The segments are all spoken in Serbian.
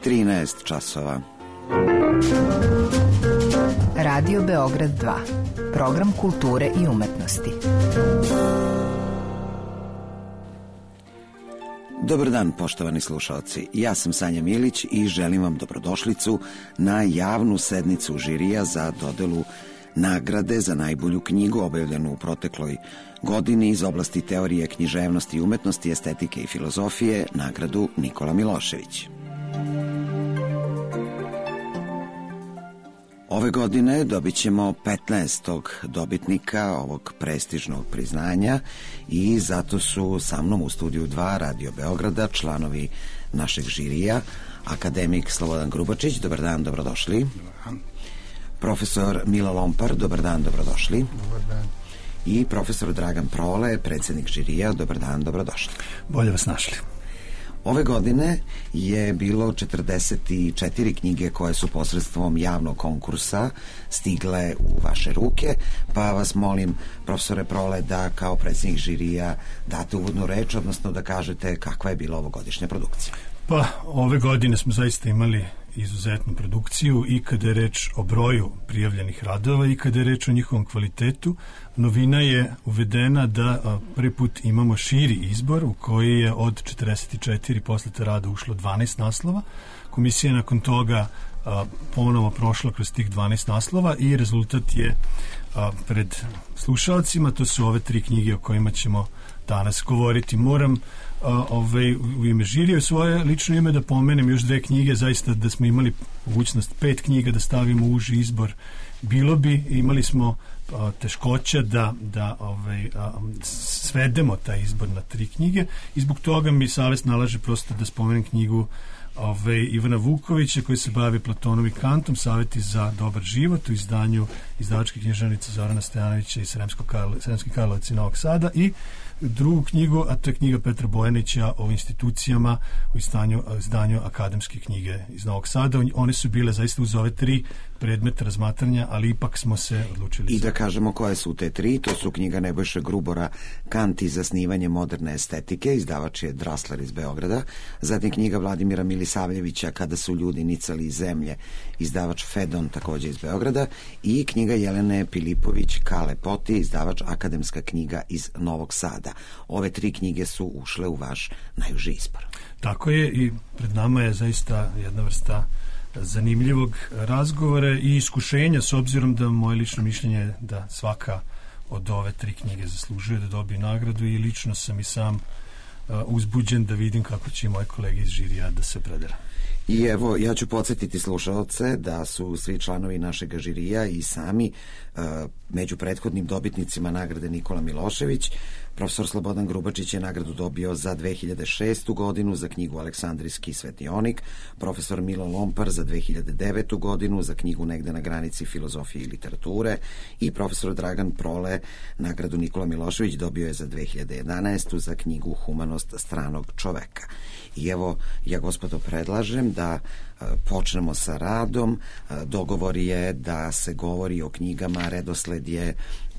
13 časova. Radio Beograd 2. Program kulture i umetnosti. Dobar dan, poštovani slušalci. Ja sam Sanja Milić i želim vam dobrodošlicu na javnu sednicu žirija za dodelu nagrade za najbolju knjigu objavljenu u protekloj godini iz oblasti teorije književnosti i umetnosti, estetike i filozofije, nagradu Nikola Milošević. Ove godine dobit ćemo 15. dobitnika ovog prestižnog priznanja i zato su sa mnom u studiju 2 Radio Beograda članovi našeg žirija, akademik Slobodan Grubačić, dobar dan, dobrodošli. Profesor Milo Lompar, dobar dan, dobrodošli. Dobar dan. I profesor Dragan Prole, predsjednik žirija, dobar dan, dobrodošli. Bolje vas našli. Ove godine je bilo 44 knjige koje su posredstvom javnog konkursa stigle u vaše ruke, pa vas molim, profesore Prole, da kao predsjednik žirija date uvodnu reč, odnosno da kažete kakva je bila ovogodišnja produkcija. Pa, ove godine smo zaista imali izuzetnu produkciju i kada je reč o broju prijavljenih radova i kada je reč o njihovom kvalitetu. Novina je uvedena da prvi put imamo širi izbor u koji je od 44 poslata rada ušlo 12 naslova. Komisija je nakon toga ponovo prošla kroz tih 12 naslova i rezultat je pred slušalcima. To su ove 3 knjige o kojima ćemo danas govoriti. Moram u ime žirija, u svoje lično ime da pomenem još 2 knjige, zaista da smo imali mogućnost 5 knjiga da stavimo u uži izbor. Imali smo teškoća da svedemo taj izbor na 3 knjige i zbog toga mi savest nalaže prosto da spomenem knjigu Ivana Vukovića koji se bavi Platonom i Kantom, Savjeti za dobar život u izdanju izdavačke književnice Zorana Stojanovića iz Sremskih Karlovaca i Novog Sada, i drugu knjigu, a to je knjiga Petra Bojanića o institucijama u izdanju akademske knjige iz Novog Sada. One su bile zaista uz ove 3 predmeta razmatranja, ali ipak smo se odlučili. I da kažemo koje su te 3, to su knjiga Nebojše Grubora Kant i zasnivanje moderne estetike, izdavač je Drasler iz Beograda, zatim knjiga Vladimira Milisavljevića Kada su ljudi nicali iz zemlje, izdavač Fedon takođe iz Beograda, i knjiga Jelene Pilipović Kale Poti, izdavač Akademska knjiga iz Novog Sada. Ove 3 knjige su ušle u vaš najuži izbor. Tako je, i pred nama je zaista jedna vrsta zanimljivog razgovora i iskušenja, s obzirom da moje lično mišljenje je da svaka od ove 3 knjige zaslužuje da dobije nagradu, i lično sam i sam uzbuđen da vidim kako će i moje kolege iz žirija da se predela. I evo, ja ću podsjetiti slušalce da su svi članovi našeg žirija i sami među prethodnim dobitnicima nagrade Nikola Milošević. Profesor Slobodan Grubačić je nagradu dobio za 2006. godinu za knjigu Aleksandrijski svetionik, profesor Milo Lompar za 2009. godinu za knjigu Negde na granici filozofije i literature, i profesor Dragan Prole nagradu Nikola Milošević dobio je za 2011. za knjigu Humanost stranog čoveka. I evo, ja gospodo predlažem da počnemo sa radom. Dogovor je da se govori o knjigama, redosled je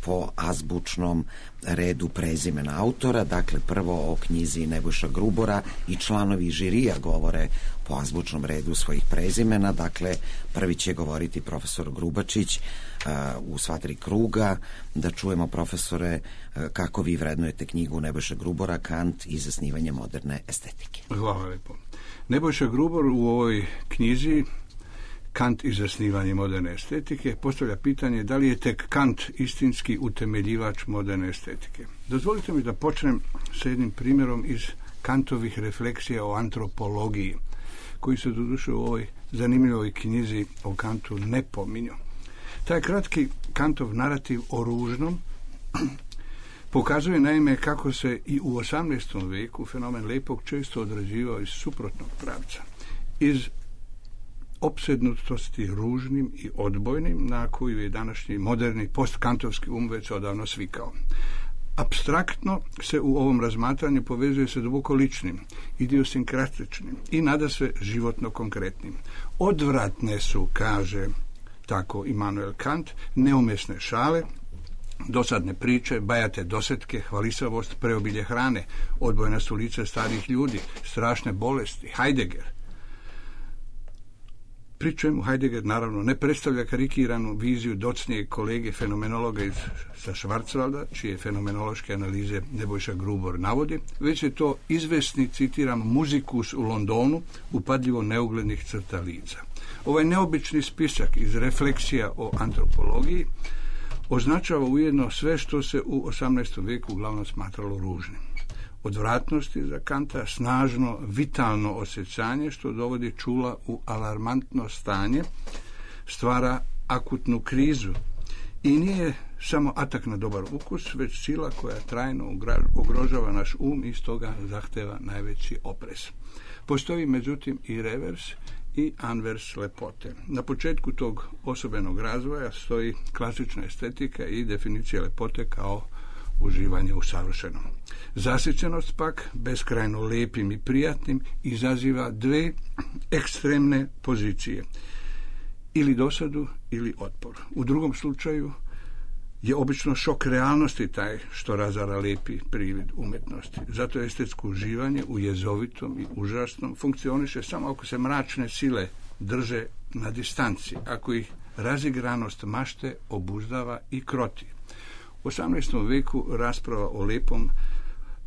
po azbučnom redu prezimena autora, dakle prvo o knjizi Nebojša Grubora i članovi žirija govore po azbučnom redu svojih prezimena, dakle prvi će govoriti profesor Grubačić u sva 3 kruga. Da čujemo, profesore, kako vi vrednujete knjigu Nebojša Grubora Kant i zasnivanje moderne estetike. Hvala lepo. Nebojša Grubor u ovoj knjizi Kant i zasnivanje moderne estetike postavlja pitanje da li je tek Kant istinski utemeljivač moderne estetike. Dozvolite mi da počnem sa jednim primjerom iz Kantovih refleksija o antropologiji, koji se doduše u ovoj zanimljivoj knjizi o Kantu ne pominju. Taj kratki Kantov narativ o ružnom pokazuje naime kako se i u 18. veku fenomen lepog često odrađivao iz suprotnog pravca, iz opsednutosti ružnim i odbojnim, na koju je današnji moderni postkantovski već odavno svikao. Apstraktno se u ovom razmatranju povezuje sa duboko ličnim, idiosinkratičnim i nadasve životno konkretnim. Odvratne su, kaže tako Immanuel Kant, neumjesne šale, dosadne priče, bajate dosetke, hvalisavost, preobilje hrane, odbojna su lica starih ljudi, strašne bolesti, Heidegger. pri čemu Heidegger naravno ne predstavlja karikiranu viziju docnijeg kolege fenomenologa sa Schwarzwalda, čije fenomenološke analize Nebojša Grubor navodi, već je to izvesni, citiram, muzikus u Londonu, upadljivo neuglednih crta lica. Ovaj neobični spisak iz refleksija o antropologiji označava ujedno sve što se u 18. vijeku uglavnom smatralo ružnim. Odvratnosti za Kanta, snažno, vitalno osjećanje što dovodi čula u alarmantno stanje, stvara akutnu krizu i nije samo atak na dobar ukus, već sila koja trajno ugrožava naš um i stoga zahteva najveći oprez. Postoji međutim i revers i anvers lepote. Na početku tog osobenog razvoja stoji klasična estetika i definicija lepote kao uživanje u savršenom. Zasićenost pak, beskrajno lijepim i prijatnim, izaziva dve ekstremne pozicije. Ili dosadu, ili otpor. U drugom slučaju je obično šok realnosti taj što razara lijepi privid umjetnosti. Zato je estetsko uživanje u jezovitom i užasnom funkcioniše samo ako se mračne sile drže na distanci, ako ih razigranost mašte obuzdava i kroti. U 18. vijeku rasprava o lijepom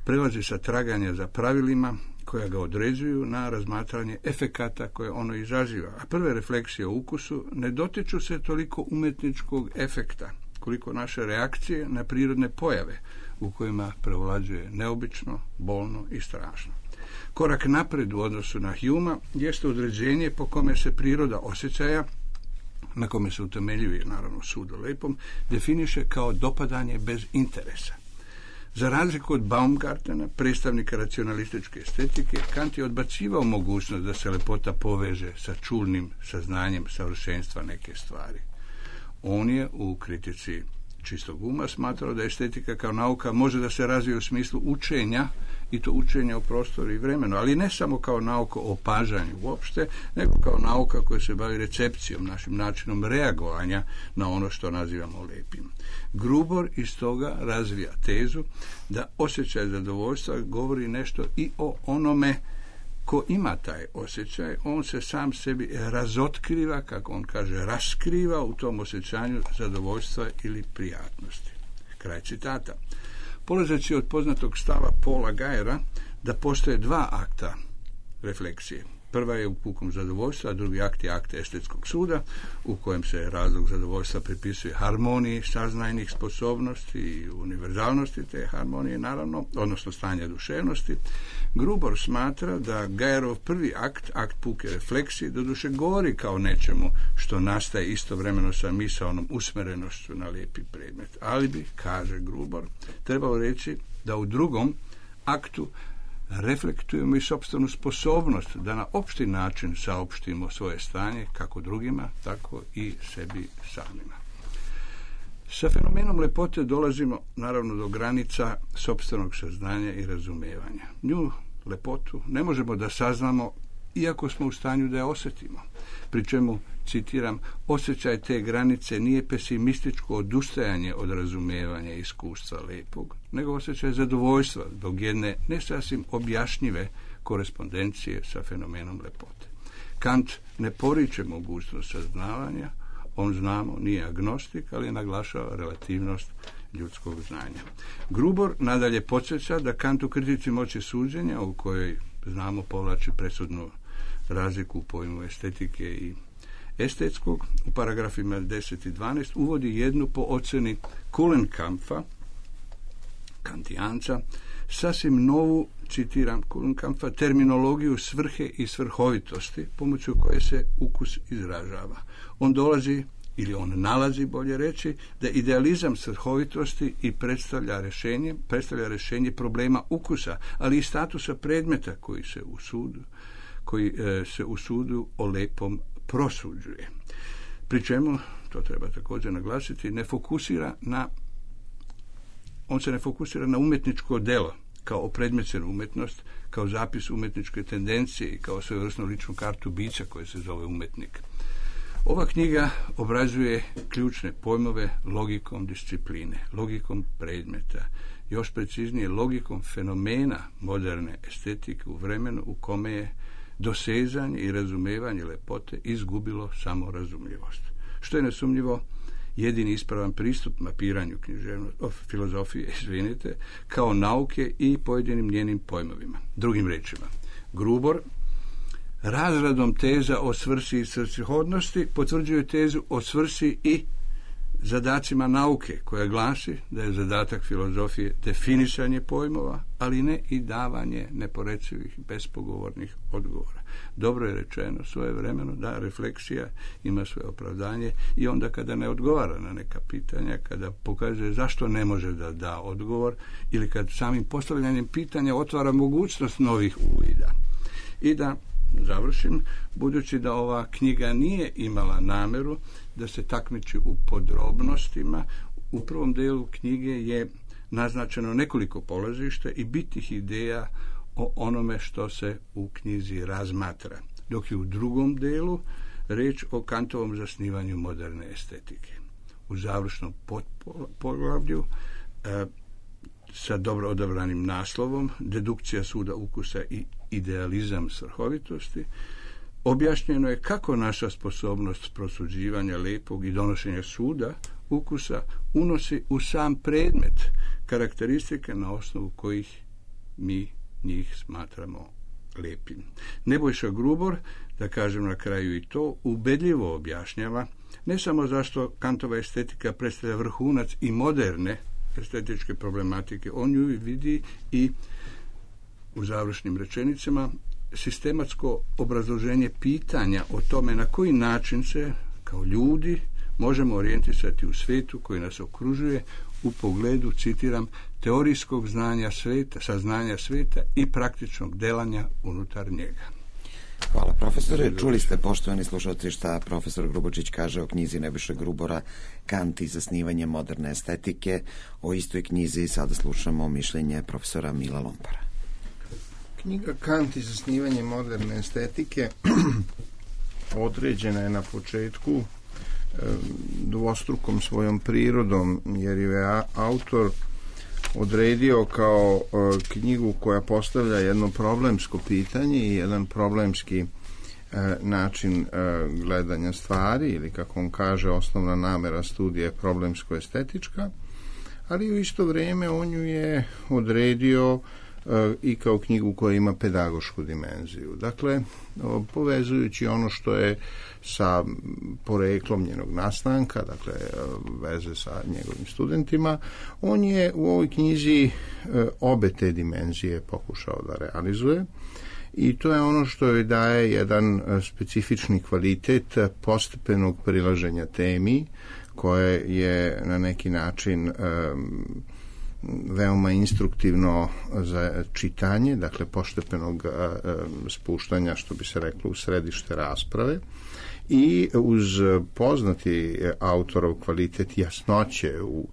prelazi sa traganja za pravilima koja ga određuju na razmatranje efekata koje ono izaziva. A prve refleksije o ukusu ne dotiču se toliko umjetničkog efekta, koliko naše reakcije na prirodne pojave u kojima prevlađuje neobično, bolno i strašno. Korak napred u odnosu na Humea jeste određenje po kome se priroda osjećaja, na kome se utemeljuje naravno sud o lijepom, definiše kao dopadanje bez interesa. Za razliku od Baumgartena, predstavnika racionalističke estetike, Kant je odbacivao mogućnost da se lepota poveže sa čulnim saznanjem savršenstva neke stvari. On je u kritici čistog uma smatrao da estetika kao nauka može da se razvije u smislu učenja, i to učenja u prostoru i vremenu, ali ne samo kao nauka o opažanju uopšte, nego kao nauka koja se bavi recepcijom, našim načinom reagovanja na ono što nazivamo lijepim. Grubor iz toga razvija tezu da osjećaj zadovoljstva govori nešto i o onome ko ima taj osjećaj. On se sam sebi razotkriva, kako on kaže, raskriva u tom osjećanju zadovoljstva ili prijatnosti. Kraj citata. Polazeći od poznatog stava Paula Gajera da postoje dva akta refleksije. Prva je u pukom zadovoljstva, a drugi akt je akt estetskog suda, u kojem se razlog zadovoljstva pripisuje harmoniji saznajnih sposobnosti i univerzalnosti te harmonije, naravno, odnosno stanja duševnosti. Grubor smatra da Gajerov prvi akt, akt puke refleksije, doduše govori kao nečemu što nastaje istovremeno sa misaonom usmerenošću na lijepi predmet. Ali bi, kaže Grubor, trebao reći da u drugom aktu reflektujemo i sopstvenu sposobnost da na opšti način saopštimo svoje stanje kako drugima, tako i sebi samima. Sa fenomenom lepote dolazimo naravno do granica sopstvenog saznanja i razumijevanja. Nju, lepotu, ne možemo da saznamo iako smo u stanju da je osjetimo. Pri čemu, citiram, osjećaj te granice nije pesimističko odustajanje od razumijevanja i iskustva lijepog, nego osjećaj zadovoljstva zbog jedne ne sasvim objašnjive korespondencije sa fenomenom lepote. Kant ne poriče mogućnost saznavanja, on, znamo, nije agnostik, ali naglašava relativnost ljudskog znanja. Grubor nadalje podsjeća da Kant u kritici moći suđenja, u kojoj, znamo, povlači presudnu razliku u pojmu estetike i estetskog, u paragrafima 10 i 12 uvodi jednu po ocjeni Kulenkampfa, kantijanca, sasvim novu, citiram Kulenkampfa, terminologiju svrhe i svrhovitosti pomoću koje se ukus izražava. On dolazi, ili on nalazi, bolje reći, da idealizam svrhovitosti i predstavlja rješenje problema ukusa, ali i statusa predmeta koji se u sudu o lepom prosuđuje. Pri čemu, to treba također naglasiti, on se ne fokusira na umjetničko delo kao opredmećenu umjetnost, kao zapis umjetničke tendencije i kao svojevrsnu ličnu kartu bića koje se zove umjetnik. Ova knjiga obrazuje ključne pojmove logikom discipline, logikom predmeta, još preciznije logikom fenomena moderne estetike u vremenu u kome je dosezanje i razumevanje lepote izgubilo samorazumljivost. Što je nesumnjivo jedini ispravan pristup mapiranju filozofije, kao nauke i pojedinim njenim pojmovima. Drugim rečima, Grubor razradom teza o svrsi i svrsishodnosti potvrđuje tezu o svrsi i zadacima nauke, koja glasi da je zadatak filozofije definisanje pojmova, ali ne i davanje neporecivih, bespogovornih odgovora. Dobro je rečeno svojevremeno da refleksija ima svoje opravdanje i onda kada ne odgovara na neka pitanja, kada pokazuje zašto ne može da da odgovor ili kad samim postavljanjem pitanja otvara mogućnost novih uvida. I da završim, budući da ova knjiga nije imala nameru da se takmiči u podrobnostima, u prvom delu knjige je naznačeno nekoliko polazišta i bitnih ideja o onome što se u knjizi razmatra, dok je u drugom delu reč o Kantovom zasnivanju moderne estetike. U završnom poglavlju sa dobro odabranim naslovom Dedukcija suda ukusa i idealizam svrhovitosti objašnjeno je kako naša sposobnost prosuđivanja lepog i donošenja suda ukusa unosi u sam predmet karakteristike na osnovu kojih mi njih smatramo lepim. Nebojša Grubor, da kažem na kraju i to, ubedljivo objašnjava ne samo zašto Kantova estetika predstavlja vrhunac i moderne estetičke problematike, on ju vidi i u završnim rečenicama sistematsko obrazloženje pitanja o tome na koji način se kao ljudi možemo orijentisati u svetu koji nas okružuje u pogledu, citiram, teorijskog znanja sveta, saznanja sveta i praktičnog delanja unutar njega. Hvala, profesore. Čuli ste, poštovani slušalci, šta profesor Grubočić kaže o knjizi Nebojše Grubora Kant i zasnivanje moderne estetike. O istoj knjizi sada slušamo mišljenje profesora Mila Lompara. Knjiga Kant i zasnivanje moderne estetike određena je na početku dvostrukom svojom prirodom, jer je autor odredio kao knjigu koja postavlja jedno problemsko pitanje i jedan problemski način gledanja stvari, ili kako on kaže, osnovna namera studije je problemsko-estetička, ali u isto vrijeme on ju je odredio i kao knjigu koja ima pedagošku dimenziju. Dakle, povezujući ono što je sa poreklom njenog nastanka, dakle veze sa njegovim studentima, on je u ovoj knjizi obe te dimenzije pokušao da realizuje i to je ono što joj daje jedan specifični kvalitet postepenog prilaženja temi, koje je na neki način veoma instruktivno za čitanje, dakle postepenog spuštanja, što bi se reklo, u središte rasprave, i uz poznati autorov kvalitet jasnoće u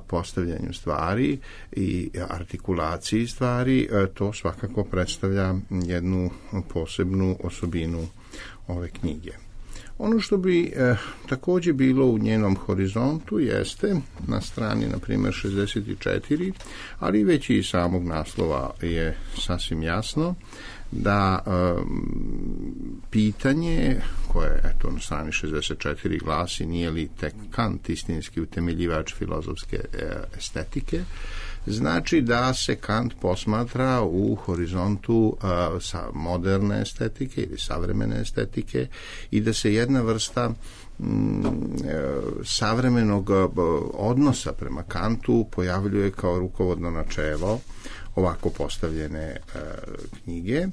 postavljanju stvari i artikulaciji stvari, to svakako predstavlja jednu posebnu osobinu ove knjige. Ono što bi također bilo u njenom horizontu jeste na strani, na primjer, 64, ali već i samog naslova je sasvim jasno da pitanje koje, eto, na strani 64 glasi nije li tek Kant istinski utemeljivač filozofske estetike, znači da se Kant posmatra u horizontu sa moderne estetike ili savremene estetike i da se jedna vrsta savremenog odnosa prema Kantu pojavljuje kao rukovodno načelo ovako postavljene knjige.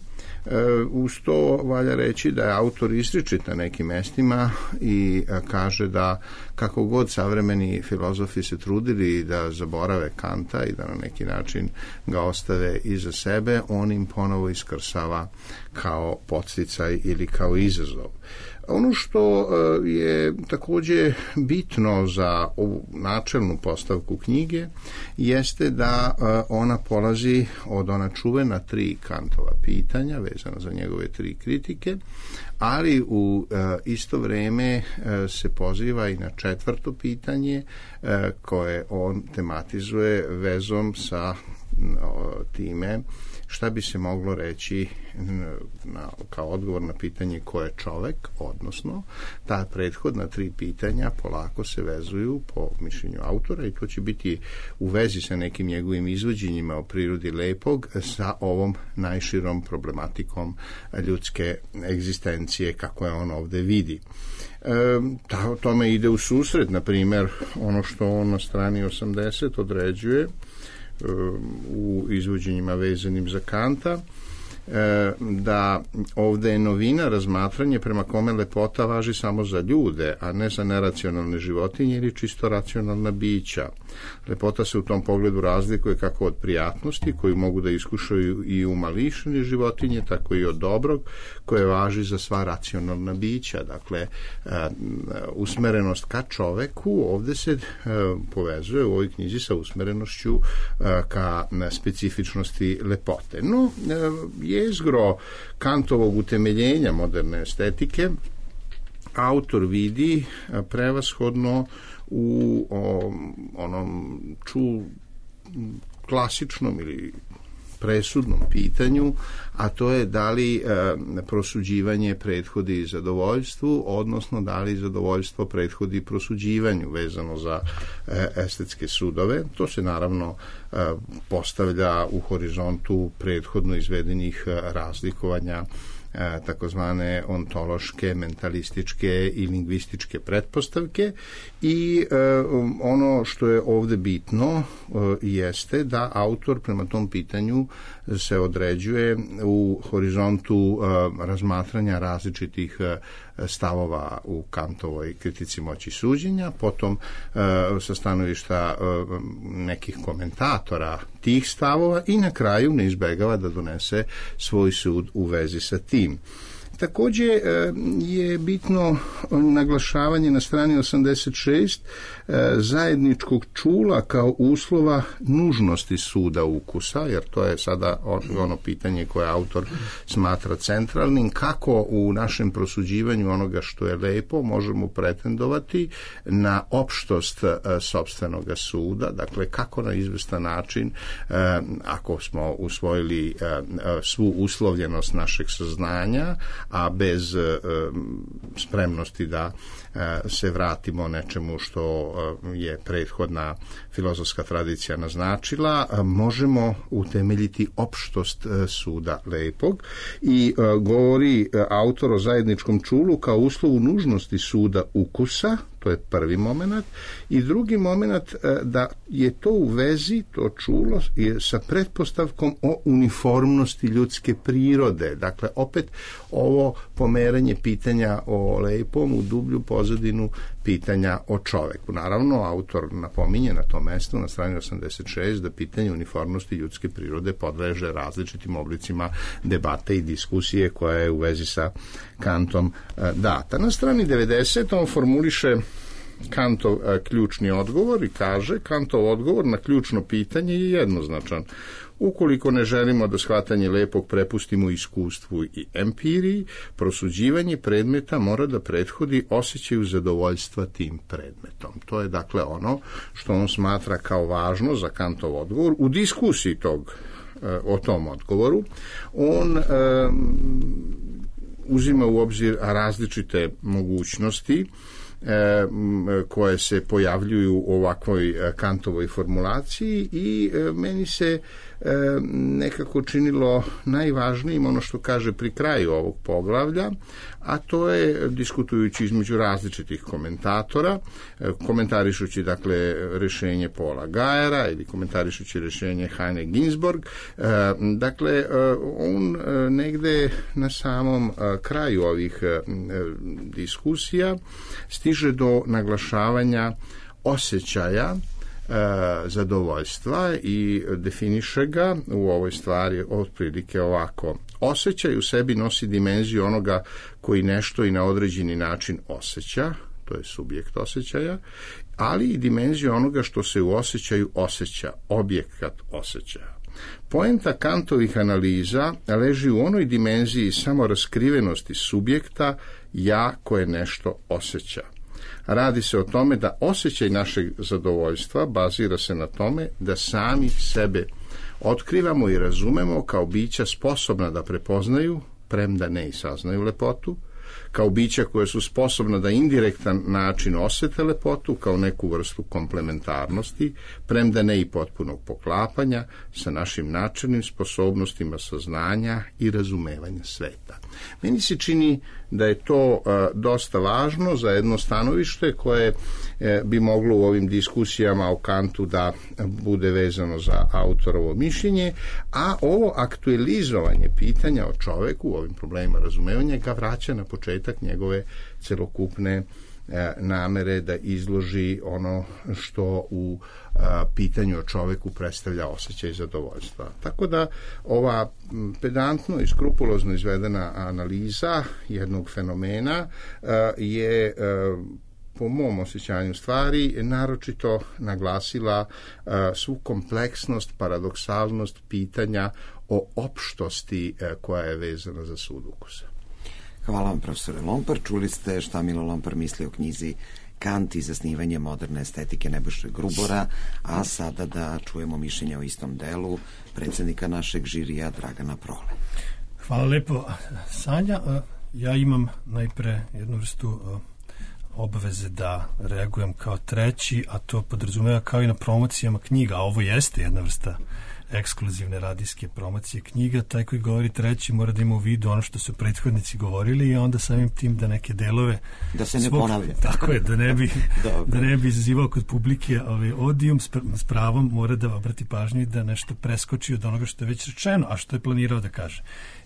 Uz to valja reći da je autor izričit na nekim mestima i kaže da kako god savremeni filozofi se trudili da zaborave Kanta i da na neki način ga ostave iza sebe, on im ponovo iskrsava kao podsticaj ili kao izazov. Ono što je također bitno za ovu načelnu postavku knjige jeste da ona polazi od ona čuvena 3 Kantova pitanja vezana za njegove 3 kritike, ali u isto vrijeme se poziva i na 4. pitanje koje on tematizuje vezom sa time šta bi se moglo reći kao odgovor na pitanje ko je čovek, odnosno ta prethodna 3 pitanja polako se vezuju po mišljenju autora i to će biti u vezi sa nekim njegovim izvođenjima o prirodi lepog sa ovom najširom problematikom ljudske egzistencije kako je on ovde vidi. Tome ide u susret, na primjer, ono što on na strani 80 određuje u izvođenjima vezanim za Kanta, da ovde je novina razmatranje prema kome lepota važi samo za ljude, a ne za neracionalne životinje ili čisto racionalna bića. Lepota se u tom pogledu razlikuje kako od prijatnosti koju mogu da iskušaju i umališene životinje, tako i od dobrog koje važi za sva racionalna bića. Dakle, usmerenost ka čoveku ovde se povezuje u ovoj knjizi sa usmerenošću ka specifičnosti lepote. No, jezgro Kantovog utemeljenja moderne estetike autor vidi prevashodno u onom klasičnom ili presudnom pitanju, a to je da li prosuđivanje prethodi zadovoljstvu, odnosno da li zadovoljstvo prethodi prosuđivanju vezano za estetske sudove. To se naravno postavlja u horizontu prethodno izvedenih razlikovanja takozvane ontološke, mentalističke i lingvističke pretpostavke i ono što je ovde bitno jeste da autor prema tom pitanju se određuje u horizontu razmatranja različitih stavova u Kantovoj kritici moći suđenja, potom sa stanovišta nekih komentatora tih stavova i na kraju ne izbegava da donese svoj sud u vezi sa tim. Takođe je bitno naglašavanje na strani 86 zajedničkog čula kao uslova nužnosti suda ukusa, jer to je sada ono pitanje koje autor smatra centralnim, kako u našem prosuđivanju onoga što je lepo možemo pretendovati na opštost sopstvenog suda, dakle kako na izvestan način, ako smo usvojili svu uslovljenost našeg saznanja, a bez spremnosti da se vratimo nečemu što je prethodna filozofska tradicija naznačila, možemo utemeljiti opštost suda lepog i govori autor o zajedničkom čulu kao uslovu nužnosti suda ukusa, to je prvi moment, i drugi moment da je to u vezi, to čulo je sa pretpostavkom o uniformnosti ljudske prirode. Dakle, opet ovo pomeranje pitanja o lepom u dublju pozadinu pitanja o čoveku. Naravno, autor napominje na tom mestu, na strani 86, da pitanje uniformnosti ljudske prirode podleže različitim oblicima debate i diskusije koja je u vezi sa Kantom data. Na strani 90 on formuliše Kantov ključni odgovor i kaže: Kantov odgovor na ključno pitanje je jednoznačan. Ukoliko ne želimo da shvatanje lepog prepustimo iskustvu i empiriji, prosuđivanje predmeta mora da prethodi osjećaju zadovoljstva tim predmetom. To je dakle ono što on smatra kao važno za Kantov odgovor. U diskusiji o tom odgovoru on uzima u obzir različite mogućnosti koje se pojavljuju u ovakvoj Kantovoj formulaciji i meni se nekako činilo najvažnijim ono što kaže pri kraju ovog poglavlja, a to je diskutujući između različitih komentatora, komentarišući dakle rešenje Paula Gajera ili komentarišući rešenje Heine Ginsborg. Dakle, on negde na samom kraju ovih diskusija stiže do naglašavanja osjećaja zadovoljstva i definiše ga u ovoj stvari otprilike ovako: osjećaj u sebi nosi dimenziju onoga koji nešto i na određeni način osjeća, to je subjekt osjećaja, ali i dimenziju onoga što se u osjećaju osjeća, objekat osjećaja. Poenta Kantovih analiza leži u onoj dimenziji samoraskrivenosti subjekta ja koje nešto osjeća. Radi se o tome da osjećaj našeg zadovoljstva bazira se na tome da sami sebe otkrivamo i razumemo kao bića sposobna da prepoznaju, premda ne i saznaju lepotu, kao bića koje su sposobna da indirektan način osete lepotu, kao neku vrstu komplementarnosti, premda ne i potpunog poklapanja sa našim načelnim sposobnostima saznanja i razumevanja sveta. Meni se čini da je to dosta važno za jedno stanovište koje bi moglo u ovim diskusijama o Kantu da bude vezano za autorovo mišljenje, a ovo aktualizovanje pitanja o čoveku u ovim problemima razumevanja ga vraća na početak njegove celokupne namere da izloži ono što u pitanju o čoveku predstavlja osjećaj zadovoljstva. Tako da ova pedantno i skrupulozno izvedena analiza jednog fenomena je po mom osjećanju stvari naročito naglasila svu kompleksnost, paradoksalnost pitanja o opštosti koja je vezana za sud ukusa. Hvala vam, profesore Lompar. Čuli ste šta Milo Lompar misli o knjizi Kant i zasnivanje moderne estetike Nebojše Grubora, a sada da čujemo mišljenje o istom delu predsjednika našeg žirija Dragana Prole. Hvala lepo, Sanja. Ja imam najpre jednu vrstu obaveze da reagujem kao treći, a to podrazumeva kao i na promocijama knjiga, a ovo jeste jedna vrsta ekskluzivne radijske promocije knjiga. Taj koji govori treći mora da ima u vidu ono što su prethodnici govorili i onda samim tim da neke delove da se ne ponavlja. Tako je, da ne bi izazivao kod publike odijum, s pravom mora da obrati pažnju i da nešto preskoči od onoga što je već rečeno, a što je planirao da kaže.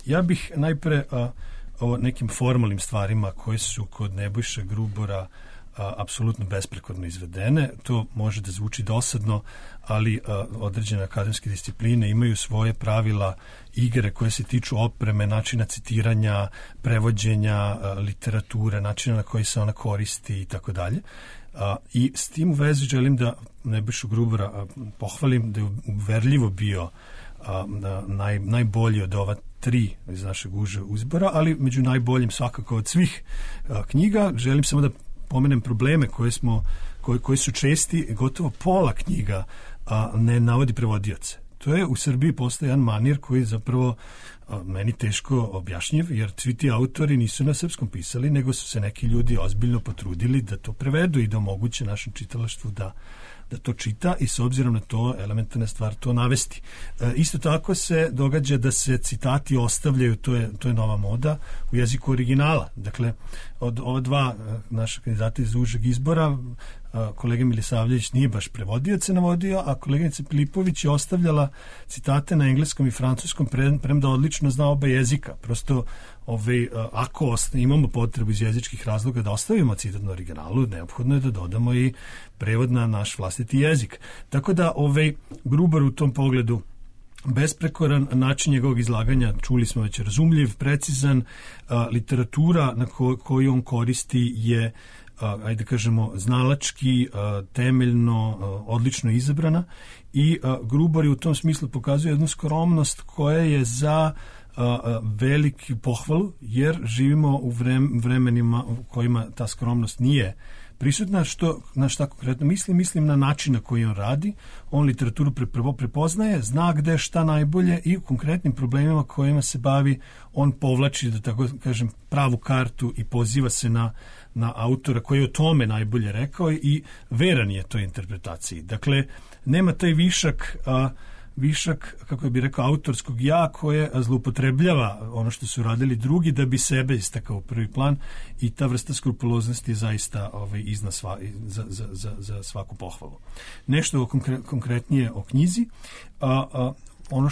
Ja bih najpre o nekim formalnim stvarima koje su kod Nebojše Grubora apsolutno besprekorno izvedene. To može da zvuči dosadno, ali određene akademske discipline imaju svoje pravila igre koje se tiču opreme, načina citiranja, prevođenja literature, načina na koji se ona koristi i tako dalje. I s tim u vezi želim da Nebojšu Grubora pohvalim da je uverljivo bio najbolji od ova 3 iz našeg užeg uzbora, ali među najboljim svakako od svih knjiga. Želim samo da pomenem probleme koji su česti. Gotovo pola knjiga ne navodi prevodioce. To je u Srbiji postoji jedan manir koji zapravo meni teško objašnjiv, jer svi ti autori nisu na srpskom pisali, nego su se neki ljudi ozbiljno potrudili da to prevedu i da omoguće našem čitalaštvu da to čita i s obzirom na to elementarna stvar to navesti. Isto tako se događa da se citati ostavljaju, to je nova moda, u jeziku originala. Dakle, od ova 2 naša kandidata iz užeg izbora, kolega Milisavljević nije baš prevodioce navodio, a koleginica Filipović je ostavljala citate na engleskom i francuskom, premda odlično zna oba jezika. Prosto, ako imamo potrebu iz jezičkih razloga da ostavimo citat na originalu, neophodno je da dodamo i prevod na naš vlastiti jezik. Tako da Grubar u tom pogledu besprekoran, način njegovog izlaganja, čuli smo već, razumljiv, precizan, literatura na koju on koristi je ajde kažemo znalački, temeljno, odlično izabrana i Grubar je u tom smislu pokazuje jednu skromnost koja je za veliki pohvalu, jer živimo u vremenima u kojima ta skromnost nije prisutna. Na šta konkretno mislim na način na koji on radi. On literaturu prvo prepoznaje, zna gde šta najbolje i u konkretnim problemima kojima se bavi on povlači, da tako kažem, pravu kartu i poziva se na autora koji je o tome najbolje rekao i veran je toj interpretaciji. Dakle, nema taj višak, kako bi rekao, autorskog ja koje zloupotrebljava ono što su radili drugi da bi sebe istakao u prvi plan i ta vrsta skrupuloznosti je zaista za svaku pohvalu. Nešto konkretnije o knjizi. Ono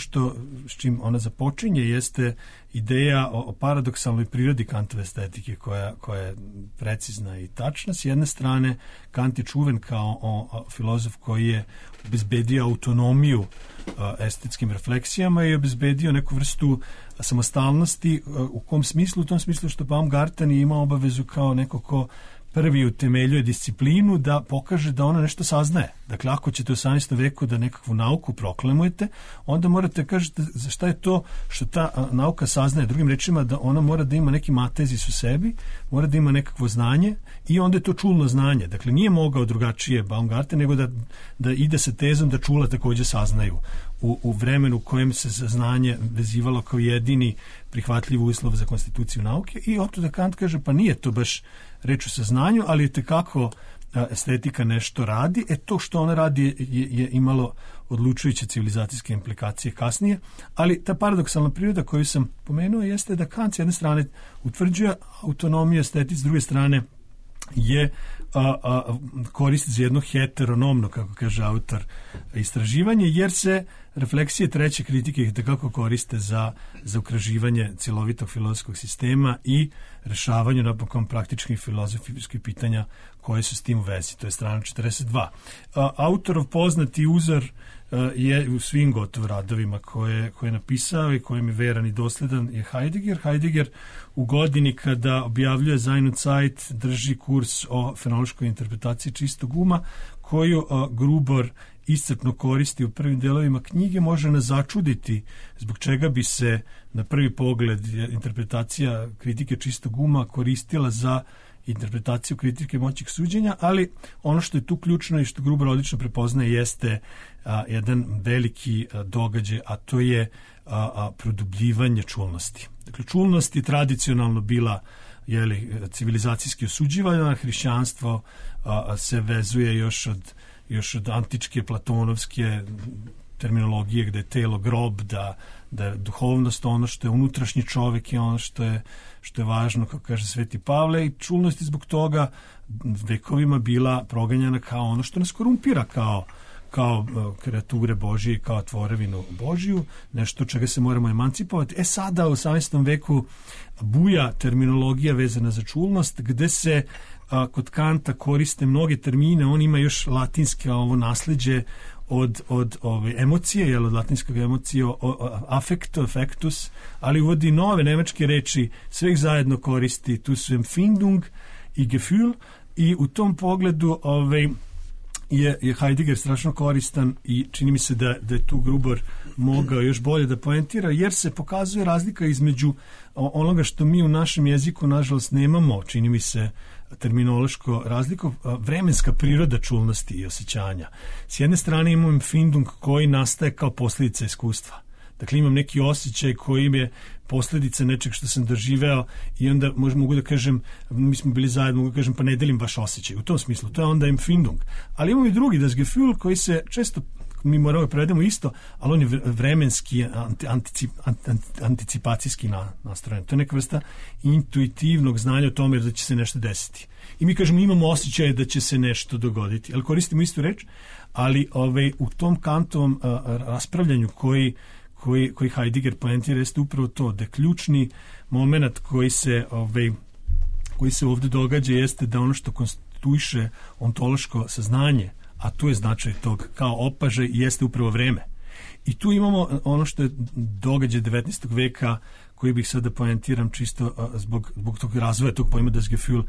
s čim ona započinje jeste ideja o paradoksalnoj prirodi Kantove estetike koja je precizna i tačna. S jedne strane, Kant je čuven kao filozof koji je obezbedio autonomiju estetskim refleksijama i obezbedio neku vrstu samostalnosti. U kom smislu? U tom smislu što Baumgarten je imao obavezu kao neko ko prvi utemeljuje disciplinu da pokaže da ona nešto saznaje. Dakle, ako ćete u 18. veku da nekakvu nauku proklamujete, onda morate kažete za šta je to što ta nauka saznaje. Drugim rečima, da ona mora da ima neki matezis u sebi, mora da ima nekakvo znanje i onda je to čulno znanje. Dakle, nije mogao drugačije Baumgarten nego da ide sa tezom da čula takođe saznaju. u vremenu u kojem se saznanje vezivalo kao jedini prihvatljiv uslov za konstituciju nauke, i otuda Kant kaže pa nije to baš reč o saznanju, ali tekako estetika nešto radi. To što ona radi je imalo odlučujuće civilizacijske implikacije kasnije, ali ta paradoksalna priroda koju sam pomenuo jeste da Kant s jedne strane utvrđuje autonomiju estetici, s druge strane je koristi za jedno heteronomno, kako kaže autor, istraživanje, jer se refleksije treće kritike tekako koriste za ukraživanje cjelovitog filozofskog sistema i rešavanju napokon praktičnih filozofijskih pitanja koje su s tim u vezi. To je strana 42. Autorov poznati uzor je u svim gotovo radovima koje je napisao i kojem je veran i dosledan je Heidegger. Heidegger u godini kada objavljuje Sein und Zeit drži kurs o fenološkoj interpretaciji čistog uma, koju Grubor iscrpno koristi u prvim delovima knjige. Može nas začuditi zbog čega bi se na prvi pogled interpretacija kritike čistog uma koristila za interpretaciju kritike moćnih suđenja, ali ono što je tu ključno i što Gruber odlično prepoznaje jeste jedan veliki događaj, a to je produbljivanje čulnosti. Dakle, čulnost je tradicionalno bila civilizacijski osuđivana, hrišćanstvo se vezuje još od antičke platonovske terminologije gde je telo grob, da je duhovnost ono što je unutrašnji čovjek i ono što je važno, kako kaže Sveti Pavle, i čulnost je zbog toga vekovima bila proganjana kao ono što nas korumpira, kao kreature Božije, kao tvorevinu Božiju, nešto čega se moramo emancipovati. Sada u 18. veku buja terminologija vezana za čulnost, gde se kod Kanta koriste mnoge termine. On ima još latinske nasleđe od ove emocije, od latinskog emocije affecto, affectus, ali uvodi nove nemačke reči, sve ih zajedno koristi, tu su Empfindung i Gefühl, i u tom pogledu je Heidegger strašno koristan i čini mi se da je tu Gruber mogao još bolje da poentira, jer se pokazuje razlika između onoga što mi u našem jeziku nažalost nemamo, čini mi se, terminološko razliko, vremenska priroda čulnosti i osjećanja. S jedne strane imam Empfindung koji nastaje kao posljedica iskustva. Dakle, imam neki osjećaj koji je posljedica nečeg što sam doživeo i onda mogu da kažem, mi smo bili zajedno, mogu da kažem, pa ne delim baš osjećaj. U tom smislu, to je onda Empfindung. Ali imamo i drugi, das Gefühl, koji se često, mi moramo predemo isto, ali on je vremenski, anticipacijski nastrojen. To je neka vrsta intuitivnog znanja o tome da će se nešto desiti. I mi kažemo, imamo osjećaj da će se nešto dogoditi, ali koristimo istu reč, ali u tom Kantovom raspravljanju koji Heidegger poentira jeste upravo to, da ključni moment koji se ovdje događa jeste da ono što konstituiše ontološko saznanje, a tu je značaj tog kao opažaj, jeste upravo vreme. I tu imamo ono što je događaj 19. veka, koji bih sada poentiram čisto zbog tog razvoja tog pojma das Gefühl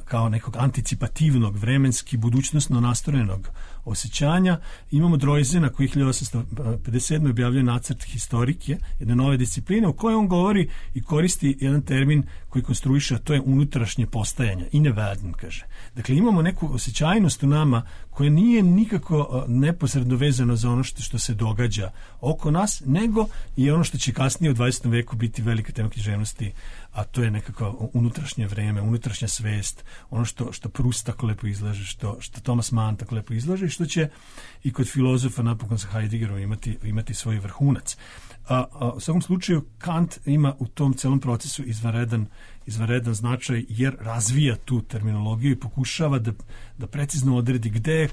kao nekog anticipativnog, vremenski, budućnostno nastrojenog osjećanja. Imamo Droysena koji 1857. objavljuje nacrt historike, jedne nove discipline, u kojoj on govori i koristi jedan termin koji konstruiše, a to je unutrašnje postajanje, innewerden, kaže. Dakle, imamo neku osjećajnost u nama koja nije nikako neposredno vezano za ono što se događa oko nas, nego i ono što će kasnije u 20. veku biti velika tema književnosti, a to je nekako unutrašnje vreme, unutrašnja svest, ono što Proust tako lepo izlaže, što Thomas Mann tako lepo izlaže i što će i kod filozofa napokon sa Heideggerom imati svoj vrhunac. U svakom slučaju Kant ima u tom celom procesu izvanredan značaj, jer razvija tu terminologiju i pokušava da precizno odredi gde je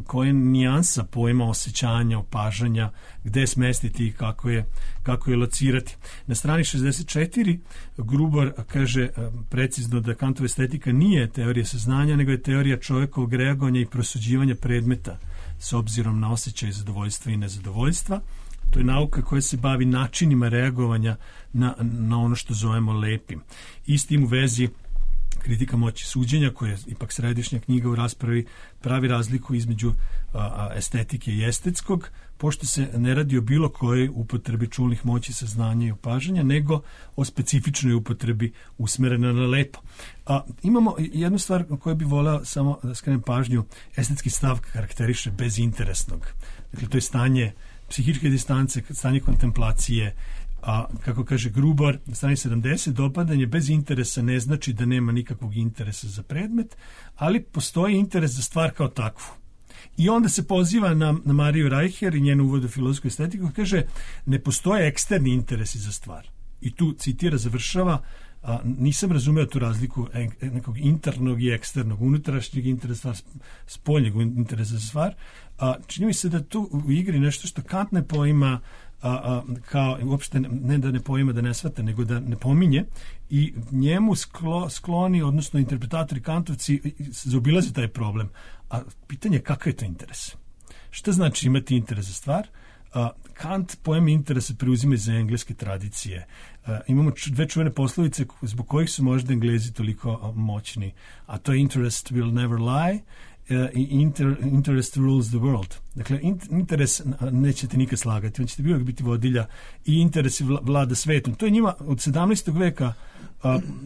koja nijansa pojma osjećanja, opažanja, gde je smestiti i kako je locirati. Na strani 64 Gruber kaže precizno da Kantova estetika nije teorija saznanja, nego je teorija čovjekovog reagovanja i prosuđivanja predmeta s obzirom na osjećaj zadovoljstva i nezadovoljstva. To je nauka koja se bavi načinima reagovanja na ono što zovemo lepim. I s tim u vezi Kritika moći suđenja, koja je ipak središnja knjiga u raspravi, pravi razliku između estetike i estetskog, pošto se ne radi o bilo kojoj upotrebi čulnih moći, saznanja i opažanja, nego o specifičnoj upotrebi usmerena na lepo. Imamo jednu stvar koju bi voleo samo da skrenem pažnju. Estetski stav karakteriše bezinteresnog. Dakle, to je stanje psihičke distance, stanje kontemplacije. Kako kaže Grubar na strani 70, dopadanje bez interesa ne znači da nema nikakvog interesa za predmet, ali postoji interes za stvar kao takvu. I onda se poziva na Mariju Reicher i njenu uvod u filozofsku estetiku, kaže ne postoje eksterni interesi za stvar. I tu citira, završava, nisam razumeo tu razliku nekog internog i eksternog, unutrašnjeg interesa, spoljnjeg interesa za stvar. Čini mi se da tu u igri nešto što Kant ne poima kao uopšte ne da ne poima, da ne shvata, nego da ne pominje, i njemu skloni, odnosno interpretatori kantovci zaobilaze taj problem. A pitanje je kakav je to interes? Šta znači imati interes za stvar? Kant pojem interesa preuzima iz engleske tradicije. Imamo dve čuvene poslovice zbog kojih su možda Englezi toliko moćni, a to je interest will never lie i interest rules the world. Dakle, interes nećete nikad slagati, on ćete uvijek biti vodilja i interes vlada svetom. To je njima od 17. veka,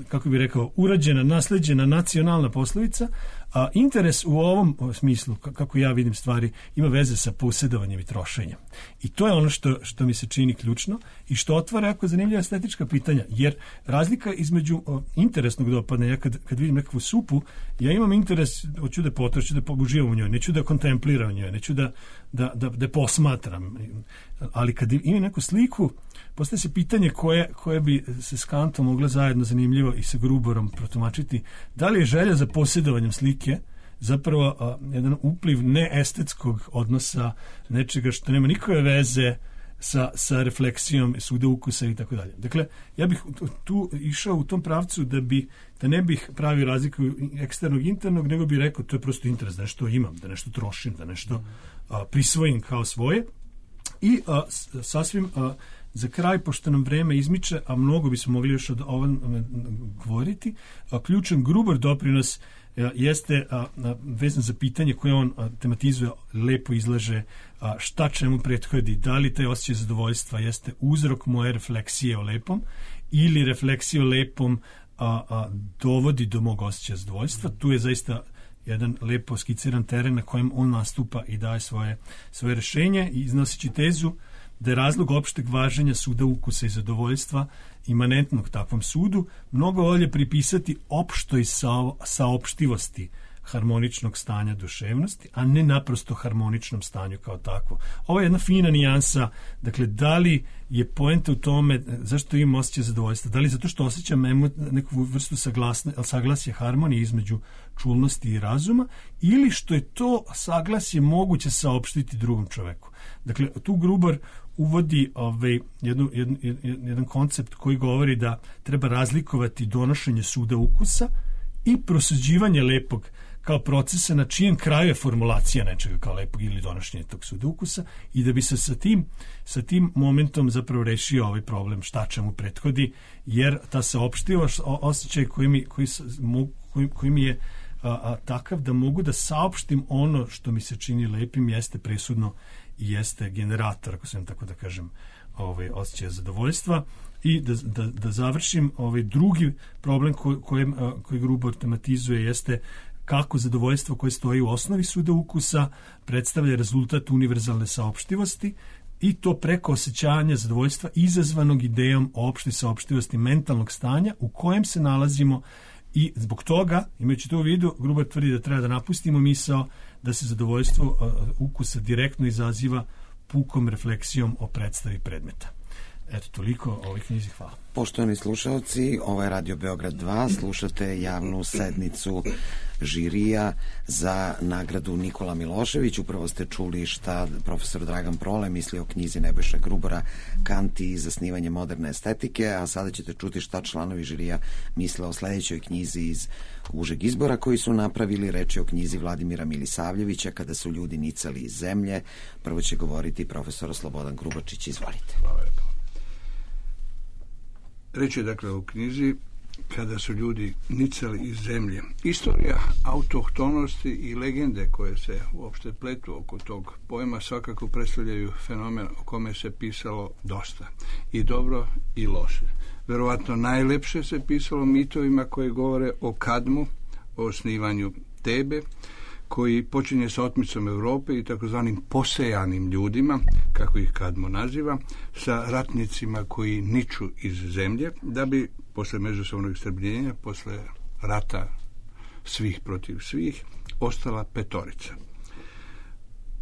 kako bih rekao, urađena, nasleđena nacionalna poslovica, a interes u ovom smislu, kako ja vidim stvari, ima veze sa posjedovanjem i trošenjem. I to je ono što mi se čini ključno i što otvara jako zanimljiva estetička pitanja, jer razlika između interesnog dopadanja, ja kad vidim nekakvu supu, ja imam interes, hoću da potrošim, da uživam u njoj, neću da kontempliram u njoj, neću da posmatram, ali kad imam neku sliku, postaje se pitanje koje bi se s Kantom mogla zajedno zanimljivo i sa Gruborom protumačiti. Da li je želja za posjedovanjem slike zapravo jedan upliv neestetskog odnosa, nečega što nema nikakve veze sa refleksijom suda ukusa i tako dalje. Dakle, ja bih tu išao u tom pravcu da ne bih pravio razliku eksternog i internog, nego bih rekao to je prosto interes, da nešto imam, da nešto trošim, da nešto prisvojim kao svoje. I sasvim za kraj, pošto nam vreme izmiče, a mnogo bismo mogli još od ovom govoriti, ključan Gruber doprinos jeste vezan za pitanje koje on tematizuje, lepo izlaže, šta čemu prethodi, da li taj osjećaj zadovoljstva jeste uzrok moje refleksije o lepom ili refleksija o lepom dovodi do mog osjećaja zadovoljstva. Tu je zaista jedan lepo skiciran teren na kojem on nastupa i daje svoje rešenje i iznoseći tezu da je razlog opšteg važenja suda ukusa i zadovoljstva imanentnog takvom sudu mnogo bolje pripisati opštoj saopštivosti harmoničnog stanja duševnosti, a ne naprosto harmoničnom stanju kao takvo. Ovo je jedna fina nijansa, dakle, da li je poenta u tome zašto imam osjećaj zadovoljstva, da li zato što osjećam neku vrstu saglasja harmonije između čulnosti i razuma, ili što je to saglasje moguće saopštiti drugom čoveku. Dakle, tu Gruber uvodi jedan koncept koji govori da treba razlikovati donošenje suda ukusa i prosuđivanje lepog kao procesa na čijem kraju je formulacija nečega kao lepog ili donošenje tog suda ukusa, i da bi se sa tim momentom zapravo rešio ovaj problem šta čemu prethodi, jer ta saopštivost, osjećaj koji mi je takav da mogu da saopštim ono što mi se čini lepim jeste presudno i jeste generator, ako sam tako da kažem, osjećaja zadovoljstva. I da završim, drugi problem koji Gruber tematizuje jeste kako zadovoljstvo koje stoji u osnovi suda ukusa predstavlja rezultat univerzalne saopštivosti, i to preko osjećanja zadovoljstva izazvanog idejom o opštoj saopštivosti mentalnog stanja u kojem se nalazimo. I zbog toga, imajući to u vidu, Gruber tvrdi da treba da napustimo misao da se zadovoljstvo ukusa direktno izaziva pukom refleksijom o predstavi predmeta. Eto, toliko o ovoj knjizi. Hvala. Poštovani slušalci, ovo je Radio Beograd 2, slušate javnu sednicu žirija za nagradu Nikola Milošević. Upravo ste čuli šta profesor Dragan Prole misli o knjizi Nebojše Grubora Kant i zasnivanje moderne estetike, a sada ćete čuti šta članovi žirija misle o sledećoj knjizi iz užeg izbora koji su napravili. Reč je o knjizi Vladimira Milisavljevića Kada su ljudi nicali iz zemlje. Prvo će govoriti profesor Slobodan Grubačić. Izvolite. Reč je dakle u knjizi kada su ljudi nicali iz zemlje. Istorija autohtonosti i legende koje se uopšte pletu oko tog pojma svakako predstavljaju fenomen o kome se pisalo dosta. I dobro i loše. Verovatno najlepše se pisalo mitovima koji govore o Kadmu, o osnivanju Tebe, koji počinje sa otmicom Europe i takozvanim posejanim ljudima, kako ih Kadmo naziva, sa ratnicima koji niču iz zemlje, da bi posle međusobnog istrebljenja, posle rata svih protiv svih, ostala petorica.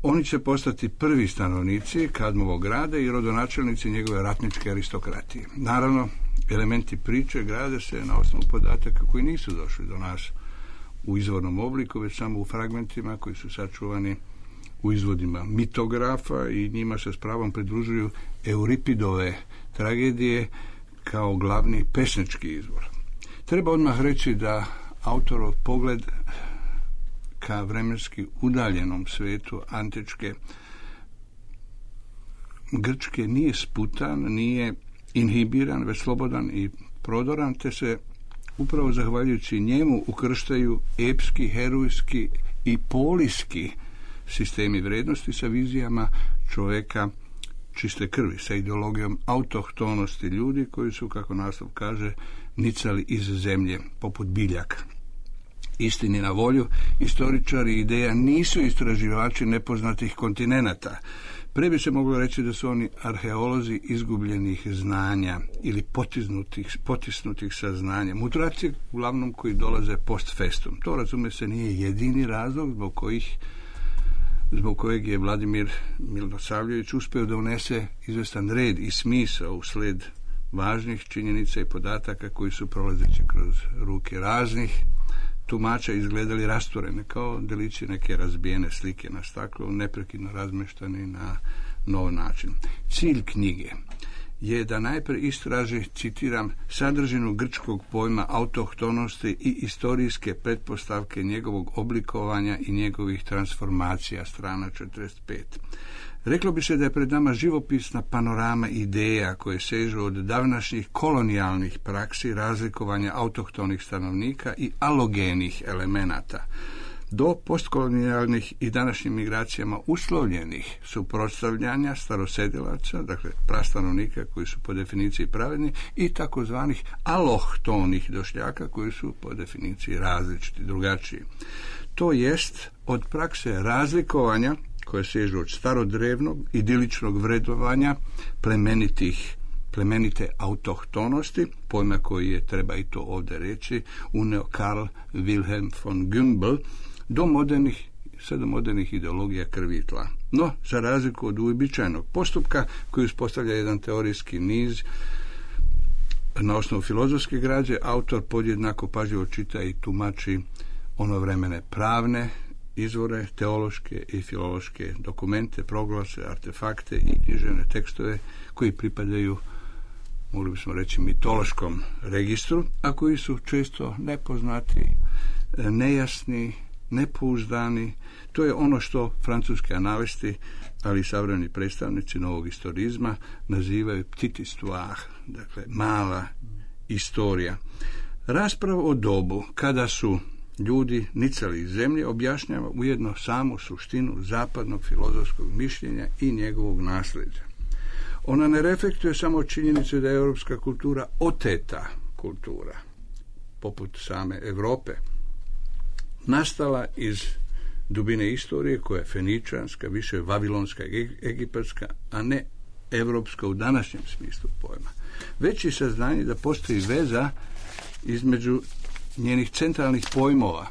Oni će postati prvi stanovnici Kadmovog grada i rodonačelnici njegove ratničke aristokratije. Naravno, elementi priče grade se na osnovu podataka koji nisu došli do nas u izvornom obliku, već samo u fragmentima koji su sačuvani u izvodima mitografa i njima se s pravom pridružuju Euripidove tragedije kao glavni pesnički izvor. Treba odmah reći da autorov pogled ka vremenski udaljenom svetu antičke Grčke nije sputan, nije inhibiran, već slobodan i prodoran, te se upravo zahvaljujući njemu ukrštaju epski, herojski i polijski sistemi vrednosti sa vizijama čoveka čiste krvi, sa ideologijom autohtonosti ljudi koji su, kako naslov kaže, nicali iz zemlje poput biljaka. Istini na volju, istoričari ideja nisu istraživači nepoznatih kontinenata. Pre bi se moglo reći da su oni arheolozi izgubljenih znanja ili potisnutih saznanja. Mutracije uglavnom koji dolaze post festum. To, razume se, nije jedini razlog zbog kojeg je Vladimir Milosavljević uspeo da unese izvestan red i smisao u sled važnih činjenica i podataka koji su prolazeći kroz ruke raznih tumača izgledali rasturene kao delići neke razbijene slike na staklu, neprekidno razmeštani na nov način. Cilj knjige je da najpre istraži, citiram, sadržinu grčkog pojma autohtonosti i istorijske pretpostavke njegovog oblikovanja i njegovih transformacija, strana 45. Reklo bi se da je pred nama živopisna panorama ideja koje sežu od davnašnjih kolonijalnih praksi razlikovanja autohtonih stanovnika i alogenih elemenata do postkolonijalnih i današnjim migracijama uslovljenih suprotstavljanja starosedilaca, dakle prastanovnika koji su po definiciji pravedni, i takozvanih alohtonih došljaka koji su po definiciji različiti, drugačiji. To jest od prakse razlikovanja koje sežu od starodrevnog idiličnog vredovanja plemenite autohtonosti, pojma koji je, treba i to ovdje reći, uneo Karl Wilhelm von Gümbel, do modernih ideologija krvi i tla. No, za razliku od uobičajenog postupka koji uspostavlja jedan teorijski niz na osnovu filozofske građe, autor podjednako pažljivo čita i tumači onovremene pravne izvore, teološke i filološke dokumente, proglase, artefakte i književne tekstove koji pripadaju, mogli bismo reći, mitološkom registru, a koji su često nepoznati, nejasni, nepouzdani. To je ono što francuski analisti, ali i savremeni predstavnici novog istorizma nazivaju petite histoire, dakle mala istorija. Rasprava o dobu kada su ljudi nicali iz zemlje objašnjava ujedno samu suštinu zapadnog filozofskog mišljenja i njegovog nasljeđa. Ona ne reflektuje samo činjenicu da je europska kultura oteta kultura, poput same Europe, nastala iz dubine istorije koja je feničanska, više vavilonska, egipatska, a ne evropska u današnjem smislu pojma. Već i saznanje da postoji veza između njenih centralnih pojmova,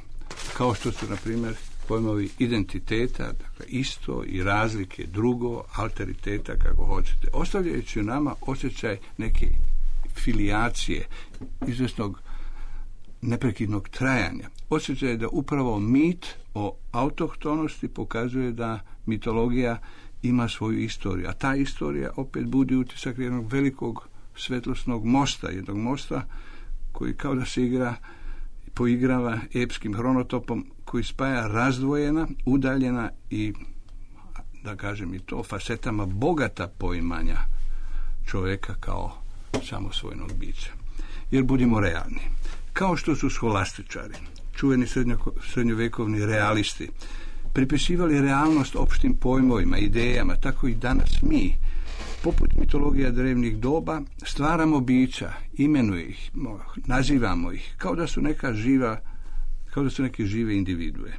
kao što su, na primjer, pojmovi identiteta, dakle isto, i razlike, drugo, alteriteta, kako hoćete, ostavljajući nama osjećaj neke filijacije, izvjesnog neprekidnog trajanja. Osjećaj da upravo mit o autohtonosti pokazuje da mitologija ima svoju istoriju, a ta istorija opet budi utisak jednog velikog svetlosnog mosta, jednog mosta koji kao da se poigrava epskim hronotopom koji spaja razdvojena, udaljena i, da kažem i to, fasetama bogata poimanja čovjeka kao samosvojnog bića. Jer budimo realni. Kao što su scholastičari, čuveni srednjovekovni realisti, pripisivali realnost opštim pojmovima, idejama, tako i danas mi, poput mitologija drevnih doba, stvaramo bića, imenuje ih, nazivamo ih, kao da su neke žive individue.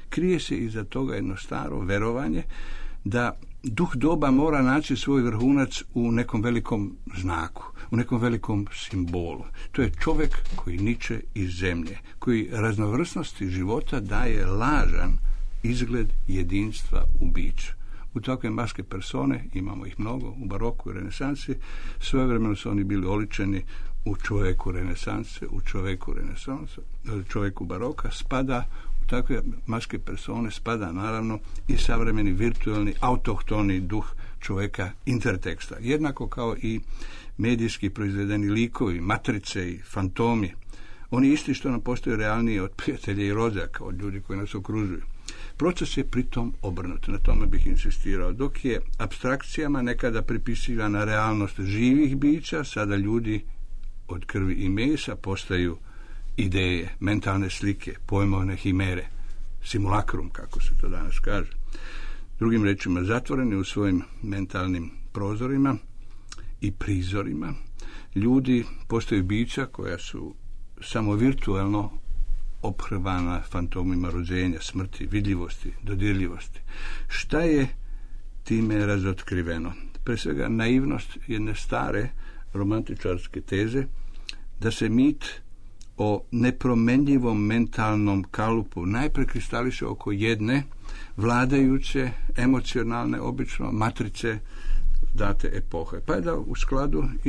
Krije se iza toga jedno staro verovanje da duh doba mora naći svoj vrhunac u nekom velikom znaku, u nekom velikom simbolu. To je čovjek koji niče iz zemlje, koji raznovrsnosti života daje lažan izgled jedinstva u biću. U takve maske persone, imamo ih mnogo, u baroku i renesansi, svojevremeno su oni bili oličeni u čovjeku renesanse, u čovjeku baroka, spada u takve maske persone, spada naravno i savremeni virtualni, autohtoni duh čovjeka interteksta. Jednako kao i medijski proizvedeni likovi, matrice i fantomi. Oni isti što nam postaju realniji od prijatelja i rođaka, od ljudi koji nas okružuju. Proces je pritom obrnut, na tome bih insistirao. Dok je apstrakcijama nekada pripisivana realnost živih bića, sada ljudi od krvi i mesa postaju ideje, mentalne slike, pojmovne himere, simulakrum, kako se to danas kaže. Drugim rečima, zatvoreni u svojim mentalnim prozorima i prizorima, ljudi postaju bića koja su samo virtualno ophrvana fantomima rođenja, smrti, vidljivosti, dodirljivosti. Šta je time razotkriveno? Pre svega naivnost jedne stare romantičarske teze da se mit o nepromenljivom mentalnom kalupu najpre kristališe oko jedne vladajuće, emocionalne, obično matrice date epohe. Pa je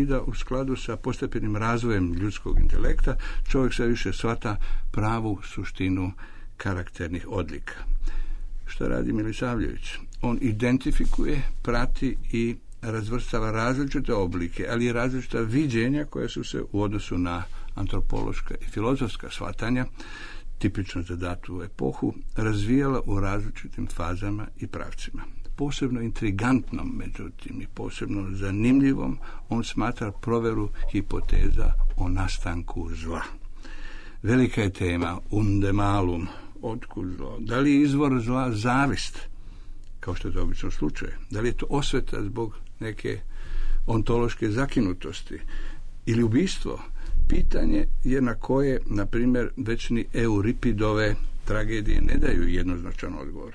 da u skladu sa postepenim razvojem ljudskog intelekta čovjek sve više shvata pravu suštinu karakternih odlika. Šta radi Milisavljević? On identifikuje, prati i razvrstava različite oblike, ali i različita viđenja koja su se u odnosu na antropološka i filozofska shvatanja, tipično za datu epohu, razvijala u različitim fazama i pravcima. Posebno intrigantnom, međutim, i posebno zanimljivom, on smatra proveru hipoteza o nastanku zla. Velika je tema, unde malum, otkud zlo. Da li je izvor zla zavist, kao što je to obično slučaj? Da li je to osveta zbog neke ontološke zakinutosti ili ubistvo? Pitanje je na koje, na primjer, večni Euripidove tragedije ne daju jednoznačan odgovor.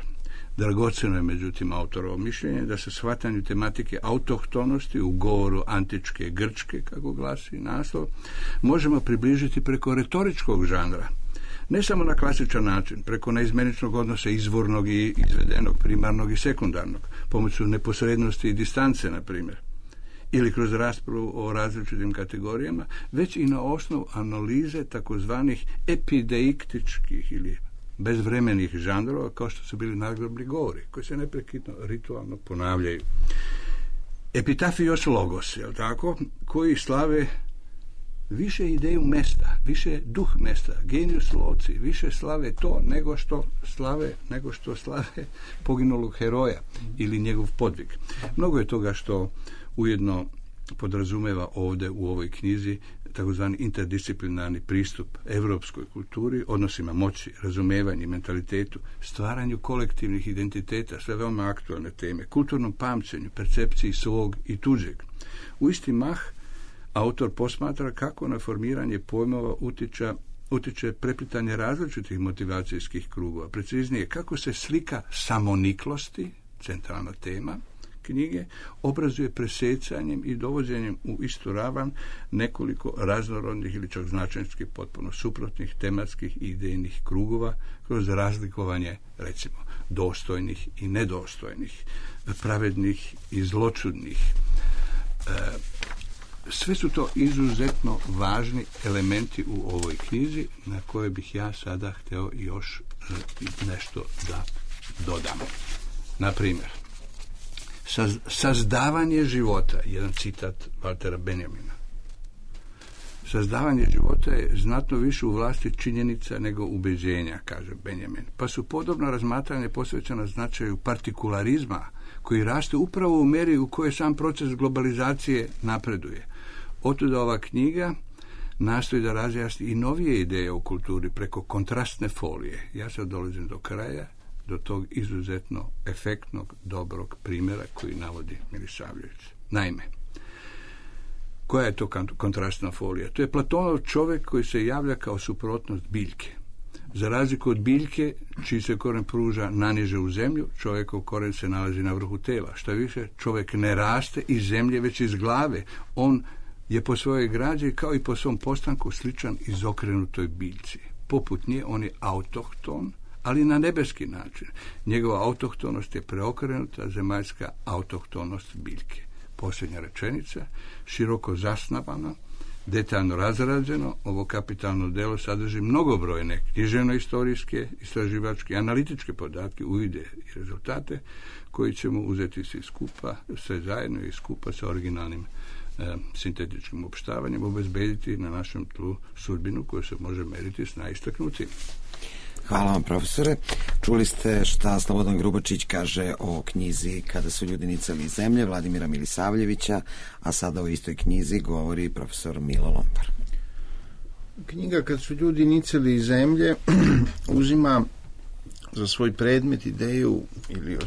Dragoceno je, međutim, autorovo mišljenje da se shvatanju tematike autohtonosti u govoru antičke Grčke, kako glasi naslov, možemo približiti preko retoričkog žanra. Ne samo na klasičan način, preko neizmeničnog odnosa izvornog i izvedenog, primarnog i sekundarnog, pomoću neposrednosti i distance, na primjer, ili kroz raspravu o različitim kategorijama, već i na osnovu analize takozvanih epideiktičkih ili bezvremenih žanrova, kao što su bili nagrobni govori, koji se neprekidno ritualno ponavljaju. Epitafios logos, je li tako, koji slave više ideju mesta, više duh mesta, genius loci, više slave to nego što slave poginulog heroja ili njegov podvig. Mnogo je toga što ujedno podrazumeva ovdje u ovoj knjizi takozvani interdisciplinarni pristup evropskoj kulturi, odnosima moći, razumevanju i mentalitetu, stvaranju kolektivnih identiteta, sve veoma aktualne teme, kulturnom pamćenju, percepciji svog i tuđeg. U isti mah autor posmatra kako na formiranje pojmova utiče preplitanje različitih motivacijskih krugova. Preciznije, kako se slika samoniklosti, centralna tema knjige, obrazuje presecanjem i dovođenjem u istu ravan nekoliko raznorodnih ili čak značajski potpuno suprotnih tematskih i idejnih krugova kroz razlikovanje, recimo, dostojnih i nedostojnih, pravednih i zločudnih. Sve su to izuzetno važni elementi u ovoj knjizi na koje bih ja sada hteo još nešto da dodam. Na primjer, sazdavanje života, jedan citat Waltera Benjamina. Sazdavanje života je znatno više u vlasti činjenica nego ubeđenja, kaže Benjamin. Pa su podobno razmatranje posvećeno značaju partikularizma, koji raste upravo u meri u kojoj sam proces globalizacije napreduje. Otuda ova knjiga nastoji da razjasni i novije ideje o kulturi preko kontrastne folije. Ja sad dolazim do kraja, do tog izuzetno efektnog, dobrog primjera koji navodi Milisavljević. Naime, koja je to kontrastna folija? To je Platonov čovjek koji se javlja kao suprotnost biljke. Za razliku od biljke, čiji se koren pruža naniže u zemlju, čovjekov koren se nalazi na vrhu tela. Šta više, čovjek ne raste iz zemlje, već iz glave. On je po svojoj građi, kao i po svom postanku, sličan izokrenutoj biljci. Poput nje, on je autohton, ali na nebeski način. Njegova autohtonost je preokrenuta zemaljska autohtonost biljke. Posljednja rečenica, široko zasnabana, detaljno razrađeno, ovo kapitalno delo sadrži mnogobrojne književno-istorijske, istraživačke, analitičke podatke, uvide i rezultate koji ćemo uzeti svi skupa, sve zajedno i skupa sa originalnim sintetičkim opštavanjem, obezbediti na našem tlu sudbinu koju se može meriti s najistaknutim. Hvala vam, profesore. Čuli ste šta Slobodan Grubačić kaže o knjizi Kada su ljudi nicali iz zemlje Vladimira Milisavljevića, a sada o istoj knjizi govori profesor Milo Lompar. Knjiga Kad su ljudi nicali iz zemlje uzima za svoj predmet ideju ili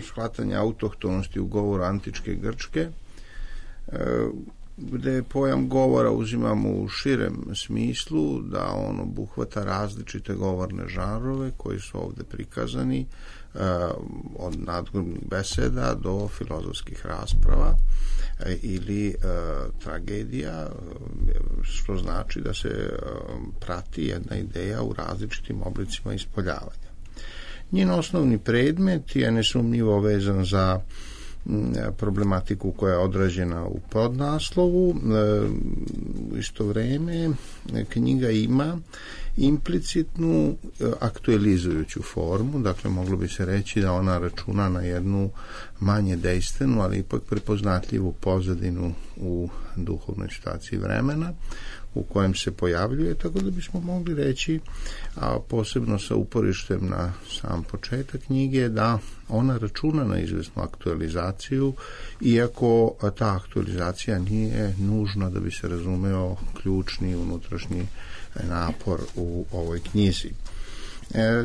shvatanje autohtonosti u govoru antičke Grčke, gde pojam govora uzimamo u širem smislu, da on obuhvata različite govorne žanrove koji su ovde prikazani, od nadgrobnih beseda do filozofskih rasprava ili tragedija, što znači da se prati jedna ideja u različitim oblicima ispoljavanja. Njen osnovni predmet je nesumnjivo vezan za problematiku koja je odrađena u podnaslovu. U isto vreme knjiga ima implicitnu aktualizujuću formu, dakle moglo bi se reći da ona računa na jednu manje dejstvenu, ali ipak prepoznatljivu pozadinu u duhovnoj situaciji vremena u kojem se pojavljuje, tako da bismo mogli reći, a posebno sa uporištem na sam početak knjige, da ona računa na izvesnu aktualizaciju, iako ta aktualizacija nije nužna da bi se razumeo ključni unutrašnji napor u ovoj knjizi.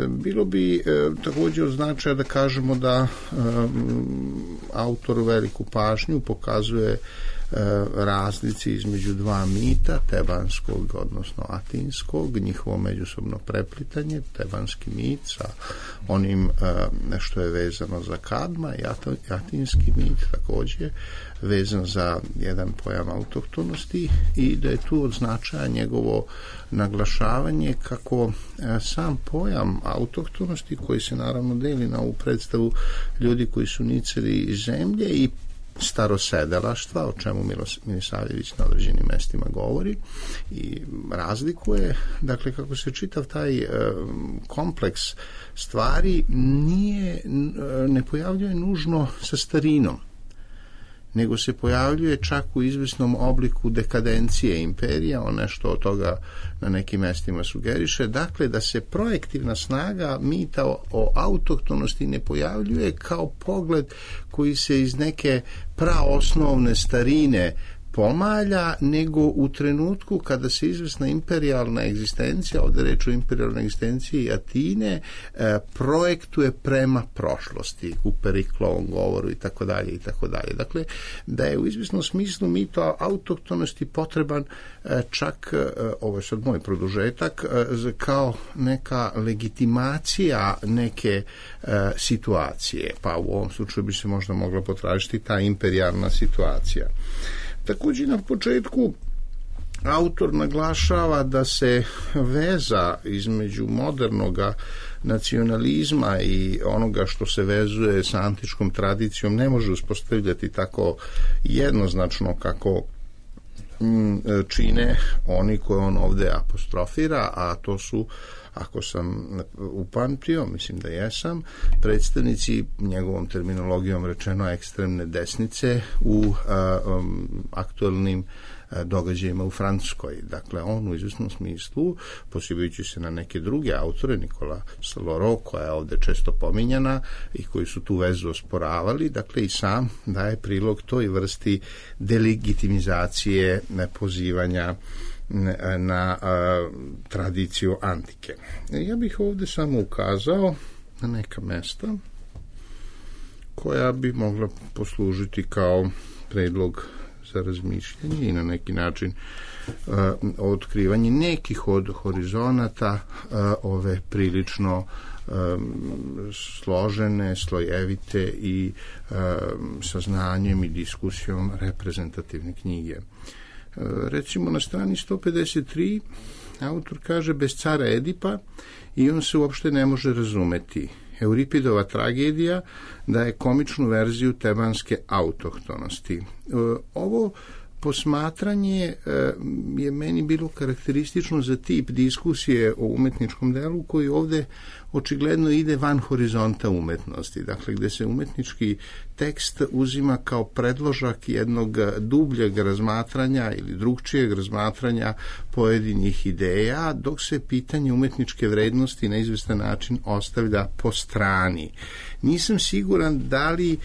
Bilo bi također od značaja da kažemo da autor veliku pažnju pokazuje razlici između dva mita, tebanskog odnosno atinskog, njihovo međusobno preplitanje, tebanski mit sa onim što je vezano za Kadma, i atinski mit također vezan za jedan pojam autohtonosti, i da je tu od značaja njegovo naglašavanje kako sam pojam autohtonosti, koji se naravno deli na ovu predstavu ljudi koji su nicali iz zemlje i starosedelaštva, o čemu Milisavljević na određenim mestima govori i razlikuje, dakle kako se čitav taj kompleks stvari ne pojavljuje nužno sa starinom, nego se pojavljuje čak u izvesnom obliku dekadencije imperija, on nešto od toga na nekim mestima sugeriše, dakle da se projektivna snaga mita o autohtonosti ne pojavljuje kao pogled koji se iz neke praosnovne starine pomalja, nego u trenutku kada se izvesna imperijalna egzistencija, ovdje reč o imperijalnoj egzistenciji Atine, projektuje prema prošlosti u Periklovom govoru i tako dalje i tako dalje. Dakle, da je u izvesnom smislu mito autohtonosti potreban čak, ovo je sad moj produžetak, kao neka legitimacija neke situacije, pa u ovom slučaju bi se možda mogla potražiti ta imperijalna situacija. Također na početku autor naglašava da se veza između modernog nacionalizma i onoga što se vezuje sa antičkom tradicijom ne može uspostavljati tako jednoznačno kako čine oni koje on ovdje apostrofira, a to su, ako sam upamtio, mislim da jesam, predstavnici, njegovom terminologijom rečeno, ekstremne desnice u aktualnim događajima u Francuskoj. Dakle, on u izvjesnom smislu, posibajući se na neke druge autore, Nikola Saloro, koja je ovdje često pominjana i koji su tu vezu osporavali, dakle i sam daje prilog toj vrsti delegitimizacije pozivanja na tradiciju antike. Ja bih ovdje samo ukazao na neka mesta koja bi mogla poslužiti kao predlog za razmišljanje i na neki način otkrivanje nekih od horizonata ove prilično složene, slojevite i sa znanjem i diskusijom reprezentativne knjige. Recimo na strani 153 autor kaže bez cara Edipa i on se uopšte ne može razumeti. Euripidova tragedija daje komičnu verziju tebanske autohtonosti. Ovo posmatranje je meni bilo karakteristično za tip diskusije o umetničkom delu koji ovdje očigledno ide van horizonta umetnosti, dakle gdje se umetnički tekst uzima kao predložak jednog dubljeg razmatranja ili drugčijeg razmatranja pojedinih ideja, dok se pitanje umetničke vrednosti na izvestan način ostavlja po strani. Nisam siguran da li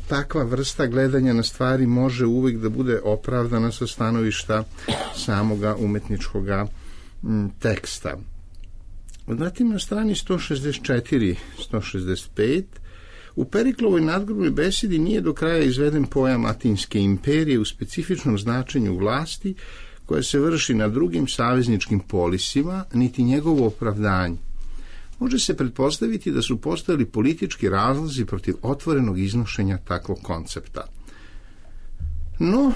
takva vrsta gledanja na stvari može uvijek da bude opravdana sa stanovišta samoga umetničkoga teksta. Zatim na strani 164-165 u Periklovoj nadgrobnoj besedi nije do kraja izveden pojam Atinske imperije u specifičnom značenju vlasti koja se vrši na drugim savezničkim polisima, niti njegovo opravdanje. Može se pretpostaviti da su postojali politički razlozi protiv otvorenog iznošenja takvog koncepta. No,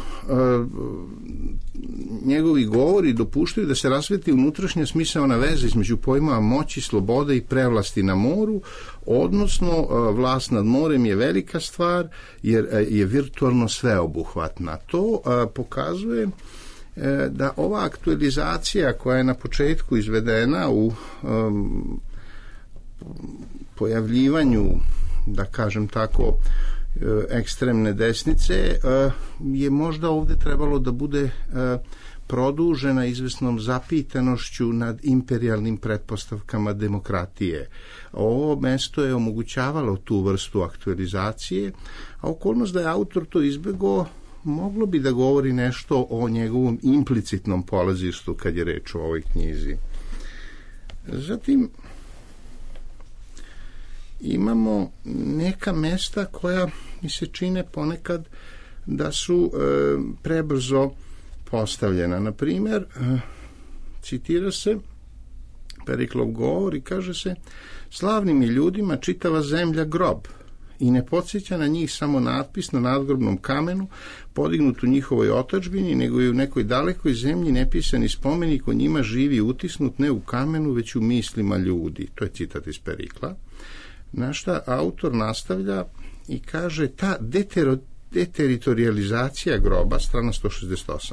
njegovi govori dopuštaju da se rasveti unutrašnja smisaona veza između pojmova moći, slobode i prevlasti na moru, odnosno vlast nad morem je velika stvar jer je virtualno sveobuhvatna. To pokazuje da ova aktualizacija koja je na početku izvedena u pojavljivanju, da kažem tako, ekstremne desnice je možda ovdje trebalo da bude produžena izvesnom zapitanošću nad imperijalnim pretpostavkama demokratije. Ovo mesto je omogućavalo tu vrstu aktualizacije, a okolnost da je autor to izbjegao moglo bi da govori nešto o njegovom implicitnom polazištu kad je reč o ovoj knjizi. Zatim imamo neka mesta koja mi se čine ponekad da su prebrzo postavljena. Na primjer, citira se Periklov govor i kaže se: slavnim je ljudima čitava zemlja grob i ne podsjeća na njih samo natpis na nadgrobnom kamenu podignut u njihovoj otadžbini, nego i u nekoj dalekoj zemlji nepisani spomenik o njima živi utisnut ne u kamenu, već u mislima ljudi. To je citat iz Perikla. Na šta autor nastavlja i kaže: ta deteritorializacija groba, strana 168,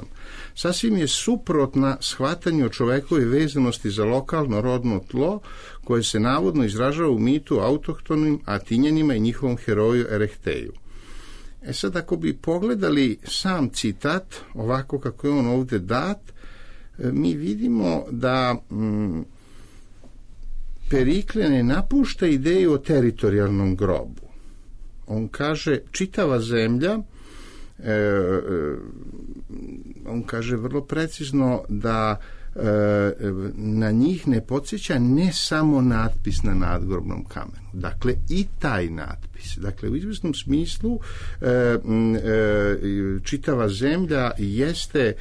sasvim je suprotna shvatanju o čovekove vezanosti za lokalno rodno tlo koje se navodno izražava u mitu autohtonim Atinjanima i njihovom heroju Erehtheju. Sad, ako bi pogledali sam citat ovako kako je on ovdje dat, mi vidimo da Perikle ne napušta ideju o teritorijalnom grobu. On kaže čitava zemlja, on kaže vrlo precizno da na njih ne podsjeća ne samo natpis na nadgrobnom kamenu. Dakle, i taj natpis. Dakle, u izvjesnom smislu čitava zemlja jeste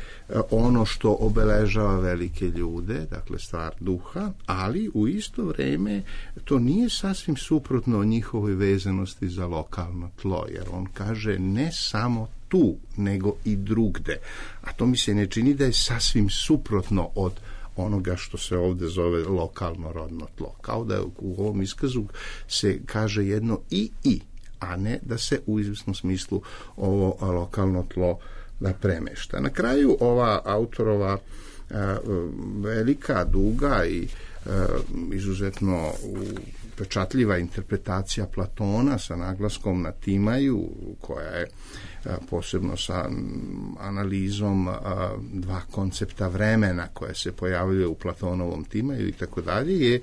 ono što obeležava velike ljude, dakle stvar duha, ali u isto vrijeme to nije sasvim suprotno o njihovoj vezanosti za lokalno tlo, jer on kaže ne samo tu, nego i drugde. A to mi se ne čini da je sasvim suprotno od onoga što se ovdje zove lokalno rodno tlo. Kao da u ovom iskazu se kaže jedno i, a ne da se u izvjesnom smislu ovo lokalno tlo da premešta. Na kraju ova autorova velika, duga i izuzetno upečatljiva interpretacija Platona sa naglaskom na Timaju, koja je posebno sa analizom dva koncepta vremena koje se pojavljuje u Platonovom Timaju i tako dalje, je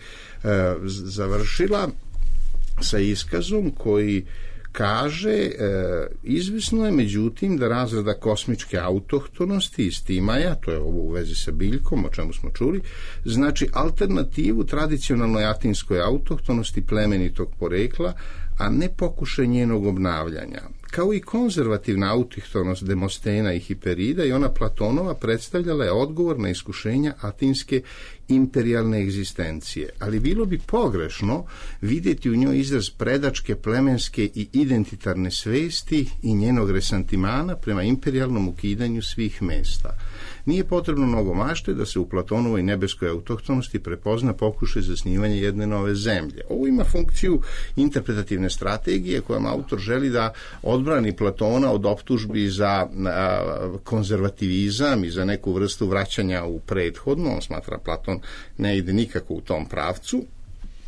završila sa iskazom koji kaže, izvisno je međutim da razrada kosmičke autohtonosti iz Timaja, to je ovo u vezi sa biljkom, o čemu smo čuli, znači alternativu tradicionalnoj atinskoj autohtonosti plemenitog porekla, a ne pokušaj njenog obnavljanja. Kao i konzervativna autohtonost Demostena i Hiperida, i ona Platonova predstavljala je odgovor na iskušenja atinske imperijalne egzistencije, ali bilo bi pogrešno vidjeti u njoj izraz predačke, plemenske i identitarne svesti i njenog resantimana prema imperijalnom ukidanju svih mesta. Nije potrebno mnogo mašte da se u Platonovoj nebeskoj autohtonosti prepozna pokušaj zasnivanja jedne nove zemlje. Ovo ima funkciju interpretativne strategije kojom autor želi da odbrani Platona od optužbi za konzervativizam i za neku vrstu vraćanja u prethodno. On smatra Platon ne ide nikako u tom pravcu,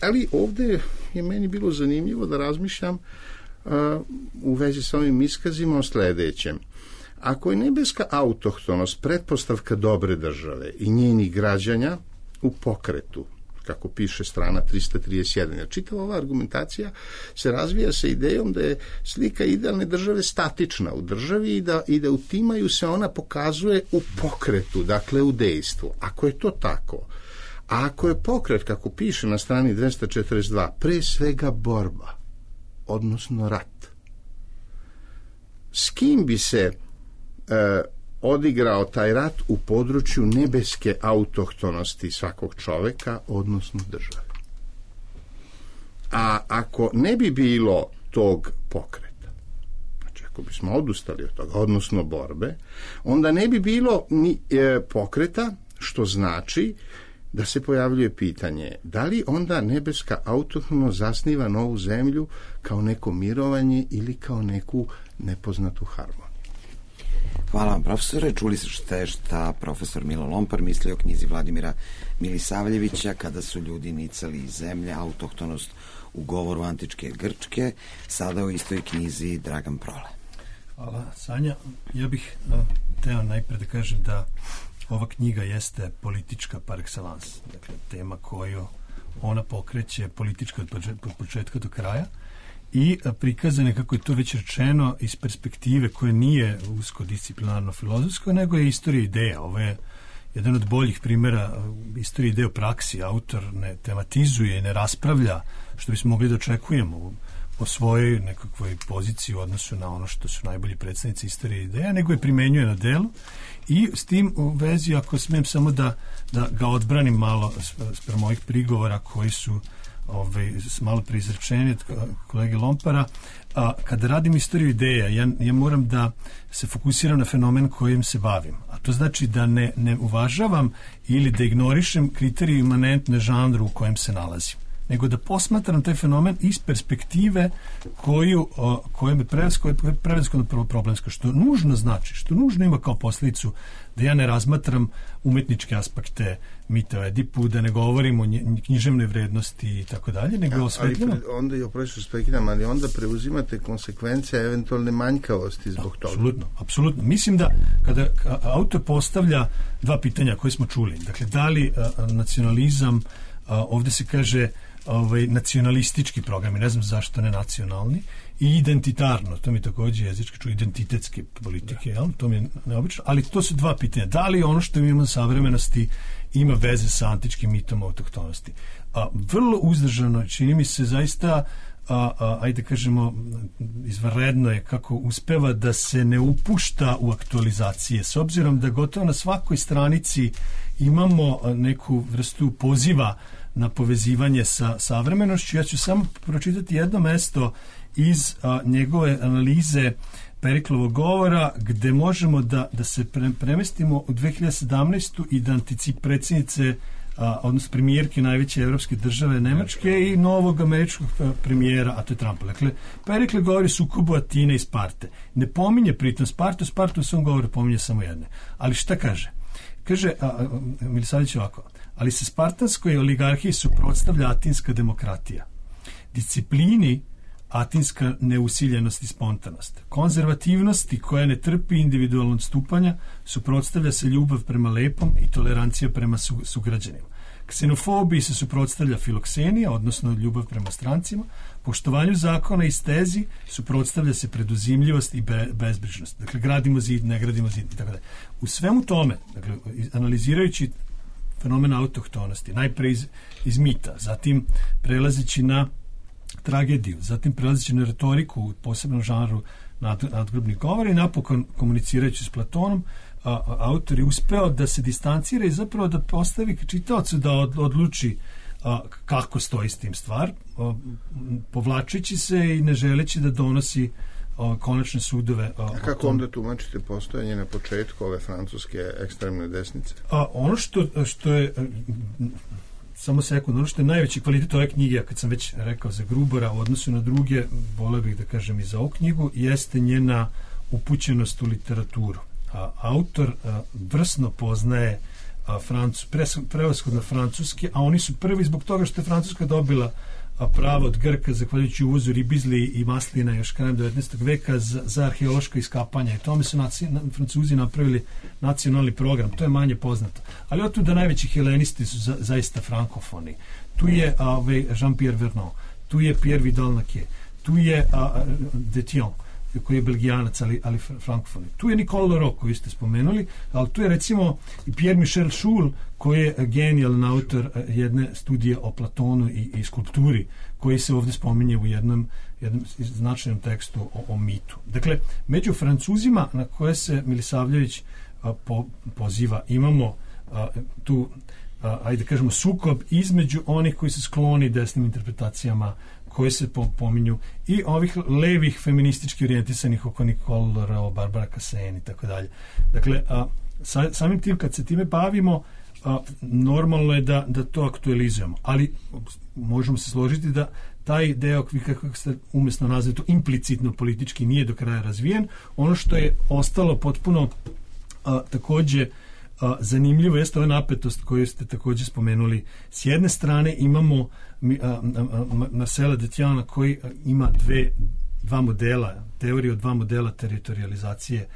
ali ovdje je meni bilo zanimljivo da razmišljam u vezi sa ovim iskazima o sljedećem. Ako je nebeska autohtonost pretpostavka dobre države i njenih građanja u pokretu, kako piše strana 331, jer čitava ova argumentacija se razvija sa idejom da je slika idealne države statična u državi i da u Timaju se ona pokazuje u pokretu, dakle u dejstvu. Ako je to tako, a ako je pokret, kako piše na strani 242, pre svega borba, odnosno rat, s kim bi se odigrao taj rat u području nebeske autohtonosti svakog čoveka, odnosno države? A ako ne bi bilo tog pokreta, znači ako bismo odustali od toga, odnosno borbe, onda ne bi bilo ni pokreta, što znači da se pojavljuje pitanje da li onda nebeska autohtonost zasniva novu zemlju kao neko mirovanje ili kao neku nepoznatu harmoniju. Hvala vam, profesore. Čuli ste šta profesor Milo Lompar misli o knjizi Vladimira Milisavljevića Kada su ljudi nicali iz zemlje, autohtonost u govoru antičke Grčke, sada u istoj knjizi Dragan Prole. Hvala, Sanja. Ja bih teo najprej da kažem da ova knjiga jeste politička par excellence. Dakle, tema koju ona pokreće politička od početka do kraja i prikazane, kako je to već rečeno, iz perspektive koje nije usko-disciplinarno-filozofsko, nego je istorija ideja. Ovo je jedan od boljih primjera istorije ideje u praksi. Autor ne tematizuje i ne raspravlja, što bismo mogli da očekujemo po svojoj nekakvoj poziciji u odnosu na ono što su najbolji predstavnici istorije ideja, nego je primenjuje na delu. I s tim u vezi, ako smijem samo da ga odbranim malo sprem mojih prigovora koji su malo preizrečeni od kolege Lompara, kada radim istoriju ideja, ja moram da se fokusiram na fenomen kojim se bavim. A to znači da ne uvažavam ili da ignorišem kriterije imanentne žanru u kojem se nalazim, nego da posmatram taj fenomen iz perspektive koja je prevashodno problemska, što nužno znači, što nužno ima kao posljedicu da ja ne razmatram umetničke aspekte mita o Edipu, da ne govorim o književnoj vrednosti i tako dalje, nego osvetljamo. Ali onda preuzimate konsekvence eventualne manjkavosti zbog toga. Apsolutno. Mislim da kada autor postavlja dva pitanja koje smo čuli, dakle, da li nacionalizam, ovdje se kaže nacionalistički programi, ne znam zašto ne nacionalni, i identitarno, to mi također jezički čuje, identitetske politike, jel? To mi je neobično, ali to su dva pitanja. Da li ono što imamo savremenosti ima veze sa antičkim mitom autohtonosti? Vrlo uzdržano, čini mi se zaista, ajde kažemo, izvanredno je kako uspeva da se ne upušta u aktualizacije, s obzirom da gotovo na svakoj stranici imamo neku vrstu poziva na povezivanje sa savremenošću. Ja ću samo pročitati jedno mesto iz njegove analize Periklovog govora, gde možemo da se premestimo u 2017. i da predsjednice, odnosno premijerke najveće evropske države Nemačke i novog američkog premijera, a to je Trumpa. Dakle, Perikle govori sukobu Atine i Sparte. Ne pominje pritom Spartu u svom govoru pominje samo jedne. Ali šta kaže? Kaže, Milisavljević ovako, ali se spartanskoj oligarhiji suprotstavlja atinska demokratija. Disciplini atinska neusiljenost i spontanost. Konzervativnosti koja ne trpi individualnog stupanja suprotstavlja se ljubav prema lepom i tolerancija prema sugrađanima. Ksenofobiji se suprotstavlja filoksenija, odnosno ljubav prema strancima. Poštovanju zakona i stezi suprotstavlja se preduzimljivost i bezbrižnost. Dakle, gradimo zid, ne gradimo zid i tako dalje. U svemu tome, dakle, analizirajući fenomen autohtonosti, najpre iz mita, zatim prelazeći na tragediju, zatim prelazeći na retoriku u posebnom žanru nadgrobnih govora i napokon komunicirajući s Platonom, autor je uspeo da se distancira i zapravo da postavi čitaocu da odluči kako stoji s tim stvar, povlačeći se i ne želeći da donosi konačne sudove. A kako onda tumačite postojanje na početku ove francuske ekstremne desnice? Ono što je samo sekund, ono što je najveći kvalitet ove knjige, a kad sam već rekao za Grubora u odnosu na druge, voleo bih da kažem i za ovu knjigu, jeste njena upućenost u literaturu. Autor vrsno poznaje prevashodno francuski, a oni su prvi zbog toga što je Francuska dobila pravo od Grka, zahvaljujući uvozu ribizli i maslina još krajem 19. veka za arheološka iskapanja. I tome su Francuzi napravili nacionalni program. To je manje poznato. Ali otuda najveći helenisti su zaista frankofoni. Tu je Jean-Pierre Vernon, tu je Pierre Vidal-Naquet, tu je Detian, koji je belgijanac, ali frankofoni. Tu je Nicole Leroux, koju ste spomenuli, ali tu je recimo i Pierre Michel Schul, koji je genijalan autor jedne studije o Platonu i skulpturi, koji se ovdje spominje u jednom značajnom tekstu o mitu. Dakle, među Francuzima na koje se Milisavljević poziva, imamo tu, ajde kažemo, sukob između onih koji su skloni desnim interpretacijama, koje se pominju, i ovih levih feministički orijentisanih oko Nicole Leroux, Barbara Cassene i tako dalje. Dakle, samim tim kad se time bavimo, normalno je da to aktualizujemo, ali možemo se složiti da taj deo, kako ste umjesno nazvali to, implicitno politički nije do kraja razvijen. Ono što je ostalo potpuno takođe zanimljivo jeste ova napetost koju ste također spomenuli. S jedne strane imamo Marcela Detiana koji ima dva modela, teoriju dva modela teritorializacije,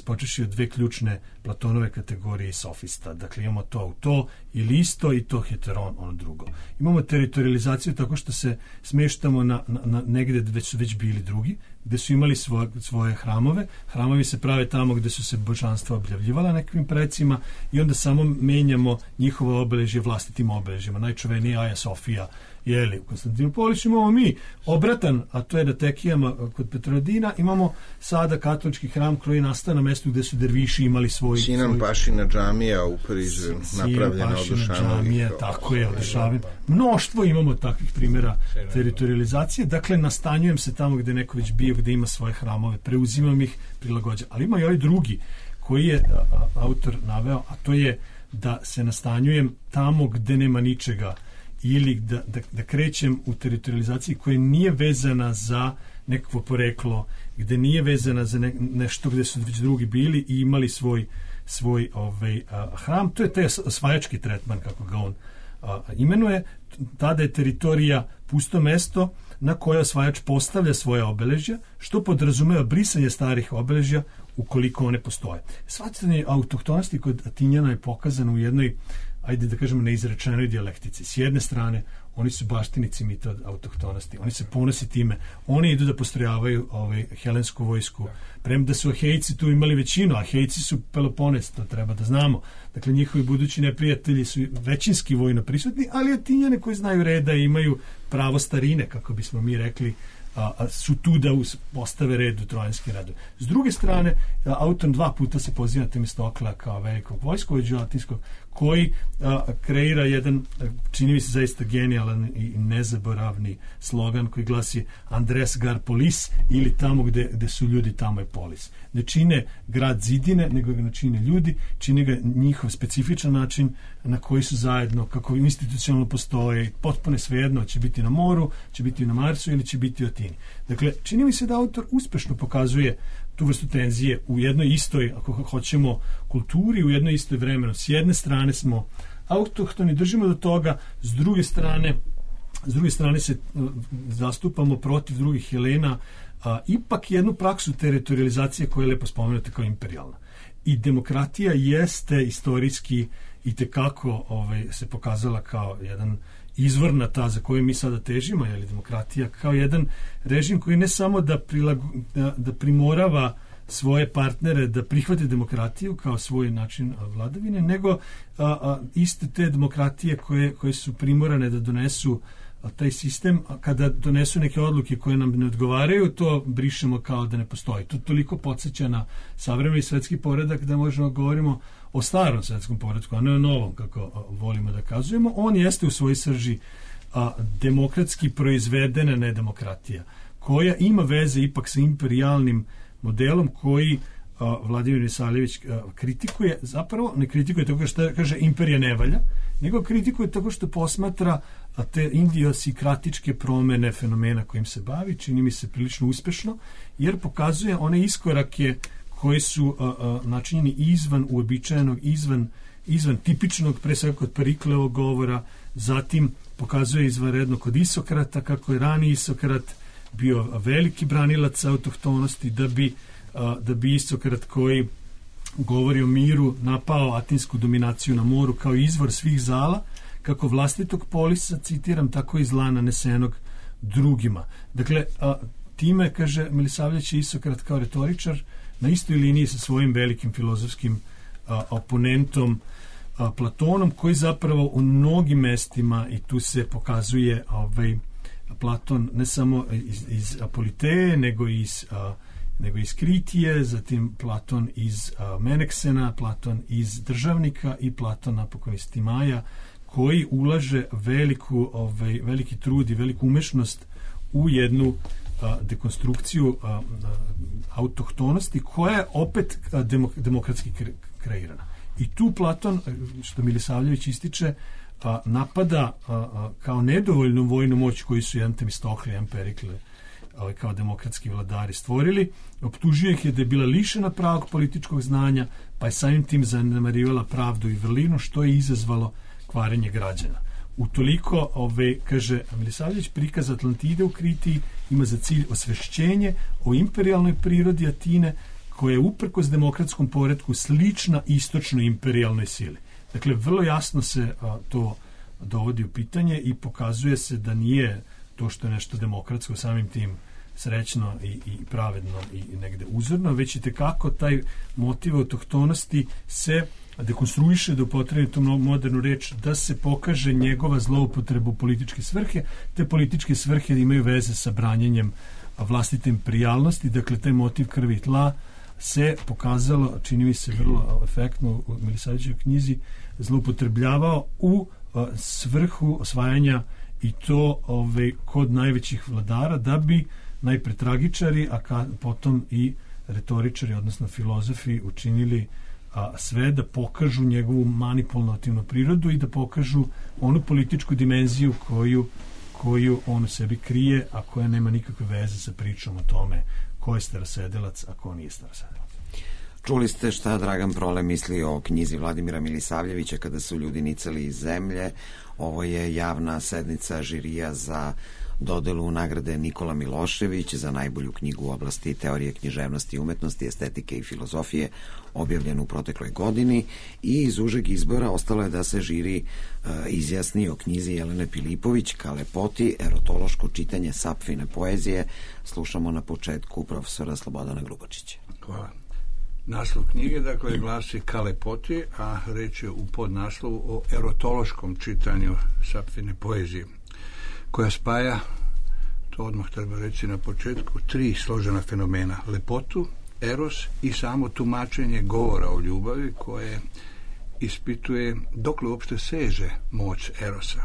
počeši od dve ključne Platonove kategorije sofista. Dakle, imamo to ili isto i to heteron, ono drugo. Imamo teritorializaciju tako što se smještamo na negdje gdje su već bili drugi, gdje su imali svoje hramove. Hramovi se prave tamo gdje su se božanstva objavljivala nekim precima i onda samo menjamo njihovo obeležje vlastitim obeležjima. Najčuvenija Aja Sofija, u Konstantinopolisu imamo mi obratan, a to je na Tekijama kod Petrodina, imamo sada katolički hram koji nastao na mjestu gdje su derviši imali svoj... Sinan Pašina džamija u Parizu, napravljena od Dušanovih. Tako je, od mnoštvo imamo takvih primjera teritorializacije. Dakle, nastanjujem se tamo gdje neko već bio, gdje ima svoje hramove, preuzimam ih, prilagođam. Ali ima i ovaj drugi koji je autor naveo, a to je da se nastanjujem tamo gdje nema ničega, ili da krećem u teritorializaciji koja nije vezana za nekakvo poreklo, gdje nije vezana za nešto gdje su već drugi bili i imali svoj hram. To je taj osvajački tretman, kako ga on imenuje. Tada je teritorija pusto mesto na koje osvajač postavlja svoje obeležja, što podrazumeva brisanje starih obeležja ukoliko one postoje. Shvatanje autohtonosti kod Atinjana je pokazano u jednoj, ajde da kažemo, neizrečenoj dijalektici. S jedne strane, oni su baštinici mita od autohtonosti, oni se ponose time, oni idu da postrojavaju helensku vojsku, premda su Ahejci tu imali većinu, Ahejci su Pelopones, to treba da znamo. Dakle, njihovi budući neprijatelji su većinski vojno prisutni, ali Atinjane koji znaju reda i imaju pravo starine, kako bismo mi rekli, su tu da postave red u trojanskim redom. S druge strane, autor dva puta se poziva na Temistokla kao velikog vojskovođu latinskog, koji kreira jedan, čini mi se zaista genijalan i nezaboravni slogan koji glasi Andres gar polis, ili tamo gde su ljudi, tamo je polis. Ne čine grad zidine, nego ga čine ljudi, čine ga njihov specifičan način na koji su zajedno, kako institucionalno postoje, potpuno svejedno, će biti na moru, će biti na Marsu ili će biti u Atini. Dakle, čini mi se da autor uspešno pokazuje tu vrstu tenzije u jednoj istoj, ako hoćemo, kulturi, u jednoj istoj vremenu. S jedne strane smo autohtoni, držimo do toga, s druge strane se zastupamo protiv drugih Helena, ipak jednu praksu teritorializacije koja je lepo spomenuta kao imperijalna. I demokratija jeste istorijski itekako se pokazala kao jedan izvorna ta za koju mi sada težimo, je li demokratija, kao jedan režim koji ne samo da primorava svoje partnere da prihvate demokratiju kao svoj način vladavine, nego iste te demokratije koje su primorane da donesu taj sistem, a kada donesu neke odluke koje nam ne odgovaraju, to brišemo kao da ne postoji. To toliko podsjeća na savremeni svetski poredak da možemo govorimo o starom svetskom poretku, a ne o novom, kako volimo da kazujemo. On jeste u svojoj srži demokratski proizvedena nedemokratija, koja ima veze ipak sa imperijalnim modelom koji Vladimir Milisavljević kritikuje. Zapravo ne kritikuje tako što kaže imperija ne valja, nego kritikuje tako što posmatra te idiosikratičke promene fenomena kojim se bavi, čini mi se prilično uspešno, jer pokazuje one iskorake koji su načinjeni izvan uobičajenog, izvan tipičnog, pre svega kod Periklevog govora, zatim pokazuje izvanredno kod Isokrata, kako je rani Isokrat bio veliki branilac autohtonosti, da bi Isokrat koji govori o miru napao atinsku dominaciju na moru kao izvor svih zala, kako vlastitog polisa, citiram, tako i zla nanesenog drugima. Dakle, time, kaže Milisavljević, Isokrat kao retoričar na istoj liniji sa svojim velikim filozofskim oponentom Platonom, koji zapravo u mnogim mestima, i tu se pokazuje Platon ne samo iz Apoliteje, nego iz Kritije, zatim Platon iz Meneksena, Platon iz Državnika i Platon napokon iz Timaja, koji ulaže veliki trud i veliku umešnost u jednu dekonstrukciju autohtonosti koja je opet demokratski kreirana. I tu Platon, što Milisavljević ističe, napada kao nedovoljnu vojnu moć koju su jedan Temistoklije, jedan Perikle kao demokratski vladari stvorili, optužuje ih je da je bila lišena pravog političkog znanja, pa je samim tim zanemarivala pravdu i vrlinu, što je izazvalo kvarenje građana. Utoliko, kaže Milisavljević, prikaz Atlantide u Kritiji ima za cilj osvešćenje o imperijalnoj prirodi Atine, koja je uprkos demokratskom poretku slična istočnoj imperijalnoj sili. Dakle, vrlo jasno se to dovodi u pitanje i pokazuje se da nije to što je nešto demokratsko samim tim srećno i pravedno i negde uzorno, već i tekako taj motiv autohtonosti se dekonstruiše, da upotrebi tu modernu reč, da se pokaže njegova zloupotrebu političke svrhe. Te političke svrhe imaju veze sa branjenjem vlastite imperijalnosti, dakle taj motiv krvi i tla se pokazalo, čini mi se vrlo efektno u Milisavljevićevoj knjizi, zloupotrebljavao u svrhu osvajanja, i to kod najvećih vladara, da bi najpre tragičari, a potom i retoričari, odnosno filozofi, učinili sve da pokažu njegovu manipulativnu prirodu i da pokažu onu političku dimenziju koju on u sebi krije, a koja nema nikakve veze sa pričom o tome ko je starosedelac, a ko nije starosedelac. Čuli ste šta Dragan Prole misli o knjizi Vladimira Milisavljevića Kada su ljudi nicali iz zemlje. Ovo je javna sednica žirija za dodelu nagrade Nikola Milošević za najbolju knjigu u oblasti teorije književnosti i umetnosti, estetike i filozofije, objavljenu u protekloj godini, i iz užeg izbora ostalo je da se žiri izjasni o knjizi Jelene Pilipović Kalepoti, erotološko čitanje Sapfine poezije. Slušamo na početku profesora Slobodana Grubačića. Hvala. Naslov knjige, dakle, glasi Kalepoti, a reč je u podnaslovu o erotološkom čitanju Sapfine poezije, koja spaja, to odmah treba reći na početku, 3 složena fenomena: lepotu, eros i samo tumačenje govora o ljubavi, koje ispituje dokle uopšte seže moć erosa.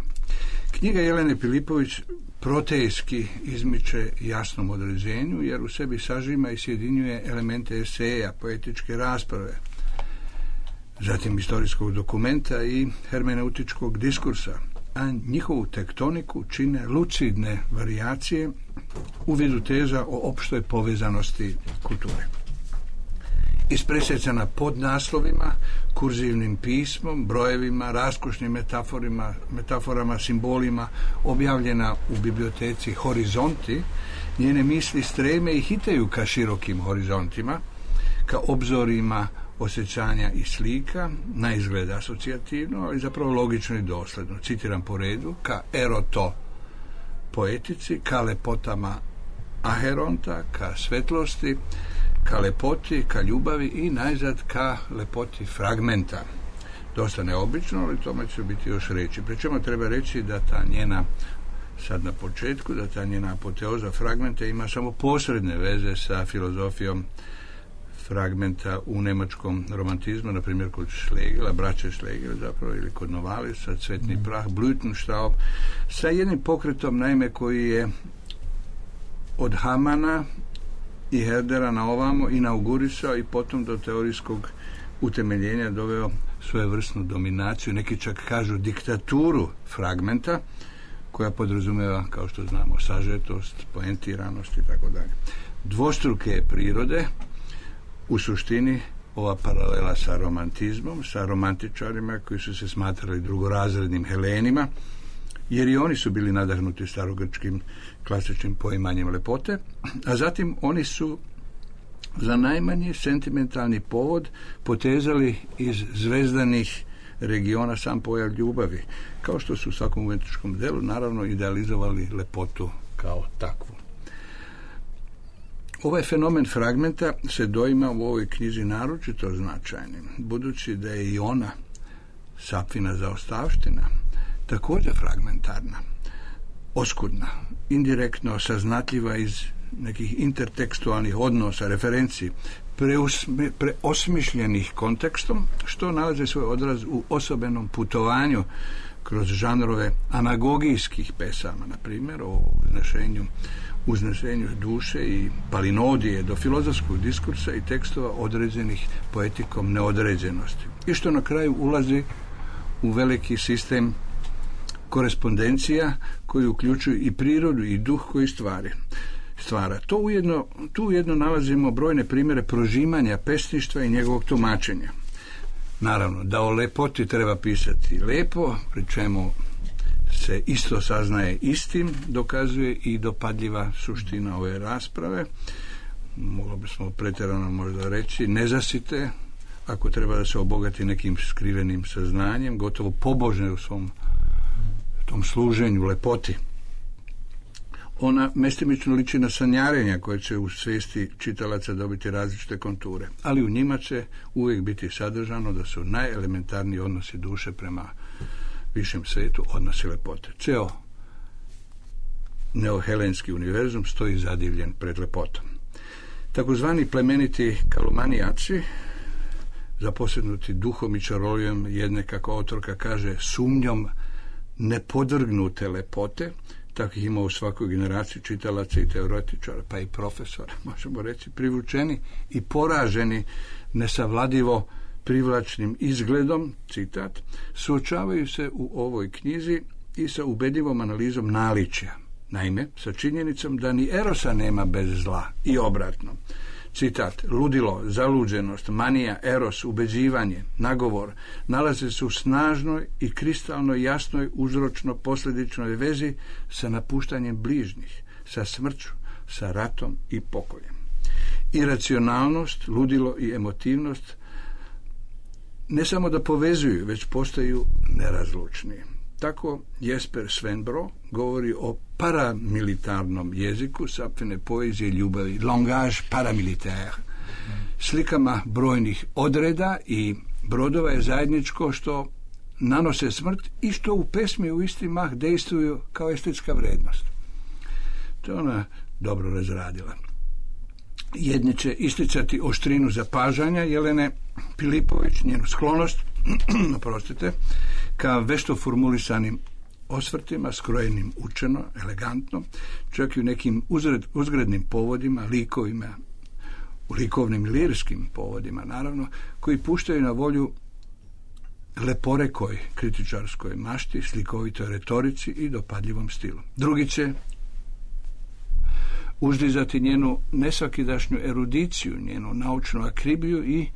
Knjiga Jelene Pilipović protejski izmiče jasnom određenju, jer u sebi sažima i sjedinjuje elemente eseja, poetičke rasprave, zatim istorijskog dokumenta i hermeneutičkog diskursa, a njihovu tektoniku čine lucidne varijacije u vidu teza o opštoj povezanosti kulture. Ispresjecana pod naslovima, kurzivnim pismom, brojevima, raskošnim metaforama, simbolima, objavljena u biblioteci Horizonti, njene misli streme i hitaju ka širokim horizontima, ka obzorima osjećanja i slika, na izgled asocijativno, ali zapravo logično i dosledno. Citiram po redu: ka eroto poetici, ka lepotama aheronta, ka svetlosti, ka lepoti, ka ljubavi i najzad ka lepoti fragmenta. Dosta neobično, ali tome će biti još reći. Pri čemu treba reći da ta njena, sad na početku, da ta njena apoteoza fragmenta ima samo posredne veze sa filozofijom fragmenta u nemačkom romantizmu, na primjer kod Schlegela, braće Schlegel zapravo, ili kod Novalisa, Cvetni prah, Blütenstaub, sa jednim pokretom, naime, koji je od Hamana i Herdera na ovamo inaugurisao i potom do teorijskog utemeljenja doveo svojevrsnu dominaciju, neki čak kažu diktaturu fragmenta, koja podrazumeva, kao što znamo, sažetost, poentiranost i tako dalje. Dvostruke prirode, u suštini ova paralela sa romantizmom, sa romantičarima koji su se smatrali drugorazrednim Helenima, jer i oni su bili nadahnuti starogrčkim klasičnim poimanjem lepote, a zatim oni su za najmanji sentimentalni povod potezali iz zvezdanih regiona sam pojav ljubavi, kao što su u svakom umjetničkom delu naravno idealizovali lepotu kao takvu. Ovaj fenomen fragmenta se doima u ovoj knjizi naročito značajnim, budući da je i ona, Sapfina zaostavština, također fragmentarna, oskudna, indirektno saznatljiva iz nekih intertekstualnih odnosa, referenciji, preosmišljenih kontekstom, što nalazi svoj odraz u osobenom putovanju kroz žanrove anagogijskih pesama, na primjer o uznesenju duše i palinodije do filozofskog diskursa i tekstova određenih poetikom neodređenosti. I što na kraju ulazi u veliki sistem korespondencija koji uključuju i prirodu i duh koji stvara. Tu ujedno nalazimo brojne primjere prožimanja pesništva i njegovog tumačenja. Naravno, da o lepoti treba pisati lepo, pri čemu se isto saznaje istim, dokazuje i dopadljiva suština ove rasprave. Moglo bismo pretjerano možda reći nezasite, ako treba da se obogati nekim skrivenim saznanjem, gotovo pobožne u svom tom služenju lepoti. Ona mestimično liči na sanjarenja koje će u svijesti čitalaca dobiti različite konture, ali u njima će uvijek biti sadržano da su najelementarniji odnosi duše prema višem svijetu odnosi lepote. Ceo neohelenski univerzum stoji zadivljen pred lepotom. Takozvani plemeniti kalumanijaci, zaposjednuti duhom i čarolijom jedne, kako autorka kaže, sumnjom nepodvrgnute lepote, takvih ima u svakoj generaciji čitalaca i teoretičara, pa i profesora, možemo reći, privučeni i poraženi nesavladivo privlačnim izgledom, citat, suočavaju se u ovoj knjizi i sa ubedljivom analizom naličja. Naime, sa činjenicom da ni erosa nema bez zla i obratno. Citat, ludilo, zaluđenost, manija, eros, ubeđivanje, nagovor nalaze se u snažnoj i kristalno jasnoj uzročno-posljedičnoj vezi sa napuštanjem bližnjih, sa smrću, sa ratom i pokoljem. Iracionalnost, ludilo i emotivnost ne samo da povezuju, već postaju nerazlučni. Tako Jesper Svenbro govori o paramilitarnom jeziku Sapfine poezije ljubavi, langage paramilitaire. Slikama brojnih odreda i brodova je zajedničko što nanose smrt i što u pesmi u isti mah dejstvuju kao estetska vrednost. To je ona dobro razradila. Jedni će isticati oštrinu zapažanja Jelene Pilipović, njenu sklonost, oprostite, ka vešto formulisanim osvrtima, skrojenim učeno, elegantno, čak i u nekim uzgrednim povodima, likovima, u likovnim lirskim povodima, naravno, koji puštaju na volju leporekoj kritičarskoj mašti, slikovitoj retorici i dopadljivom stilu. Drugi će uzdizati njenu nesvakidašnju erudiciju, njenu naučnu akribiju i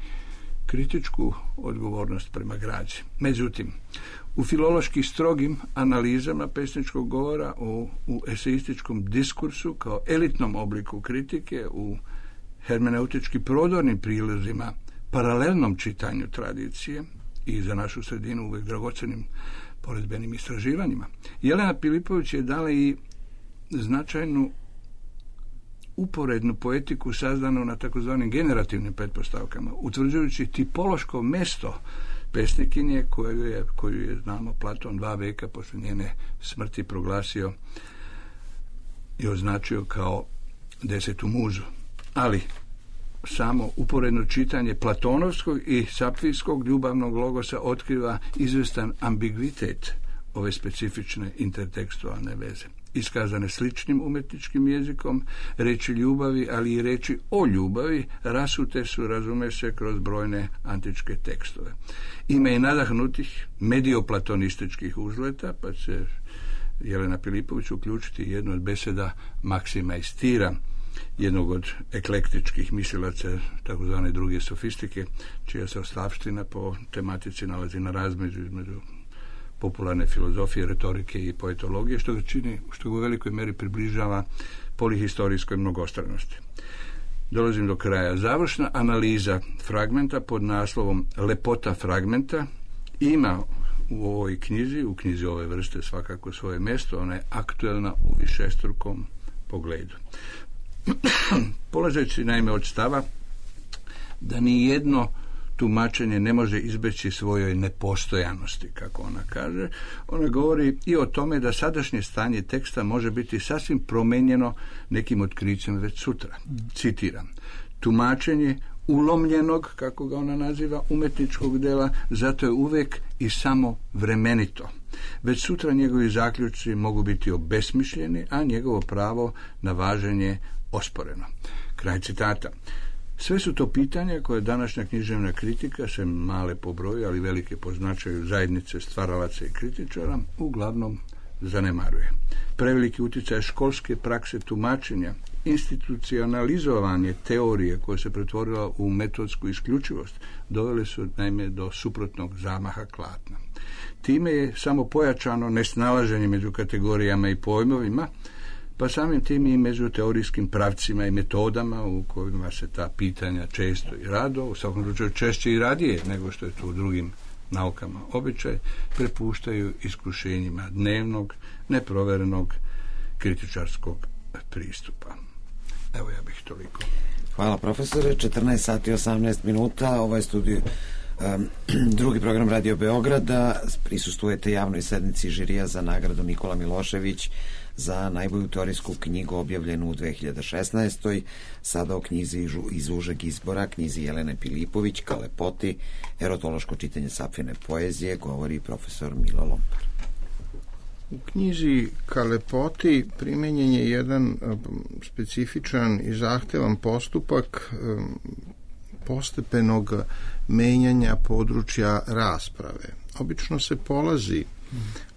kritičku odgovornost prema građi. Međutim, u filološki strogim analizama pesničkog govora, u eseističkom diskursu kao elitnom obliku kritike, u hermeneutički prodornim prilozima paralelnom čitanju tradicije i za našu sredinu uvijek dragocenim poredbenim istraživanjima. Jelena Pilipović je dala i značajnu uporednu poetiku sazdanu na takozvanim generativnim pretpostavkama, utvrđujući tipološko mesto pesnikinje koju je, znamo, Platon 2 veka posle njene smrti proglasio i označio kao 10. muzu. Ali samo uporedno čitanje platonovskog i sapfijskog ljubavnog logosa otkriva izvestan ambigvitet ove specifične intertekstualne veze. Iskazane sličnim umetničkim jezikom, reči ljubavi, ali i reči o ljubavi rasute su, razume se, kroz brojne antičke tekstove. Ima i nadahnutih medioplatonističkih uzleta, pa će Jelena Pilipović uključiti jednu od beseda Maksima iz Tira, jednog od eklektičkih mislilaca takozvane druge sofistike, čija se ostavština po tematici nalazi na razmeđu između popularne filozofije, retorike i poetologije, što ga čini, što ga u velikoj meri približava polihistorijskoj mnogostranosti. Dolazim do kraja. Završna analiza fragmenta pod naslovom Lepota fragmenta ima u ovoj knjizi, u knjizi ove vrste svakako svoje mjesto, ona je aktuelna u višestrukom pogledu. Polazeći naime od stava da ni jedno tumačenje ne može izbeći svojoj nepostojanosti, kako ona kaže, ona govori i o tome da sadašnje stanje teksta može biti sasvim promenjeno nekim otkrićem već sutra. Citiram: tumačenje ulomljenog, kako ga ona naziva, umetničkog dela, zato je uvek i samo vremenito. Već sutra njegovi zaključci mogu biti obesmišljeni, a njegovo pravo na važenje osporeno. Kraj citata. Sve su to pitanja koje današnja književna kritika, sem male po broju, ali velike po značaju zajednice stvaralaca i kritičara, uglavnom zanemaruje. Preveliki utjecaj školske prakse tumačenja, institucionalizovanje teorije koja se pretvorila u metodsku isključivost, dovele su naime do suprotnog zamaha klatna. Time je samo pojačano nesnalaženje među kategorijama i pojmovima, pa samim tim i među teorijskim pravcima i metodama u kojima se ta pitanja često i rado, u svakom slučaju češće i radije nego što je to u drugim naukama običaj, prepuštaju iskušenjima dnevnog, neproverenog kritičarskog pristupa. Evo, ja bih toliko. Hvala, profesore. 14 sati 18 minuta. Ovo je studio drugi program Radio Beograda. Prisustvujete javnoj sednici žirija za nagradu Nikola Milošević za najbolju teorijsku knjigu objavljenu u 2016. Sada o knjizi iz užeg izbora, knjizi Jelene Pilipović, Kalepoti, erotološko čitanje sapfine poezije, govori profesor Milo Lompar. U knjizi Kalepoti primenjen je jedan specifičan i zahtevan postupak postepenog menjanja područja rasprave. Obično se polazi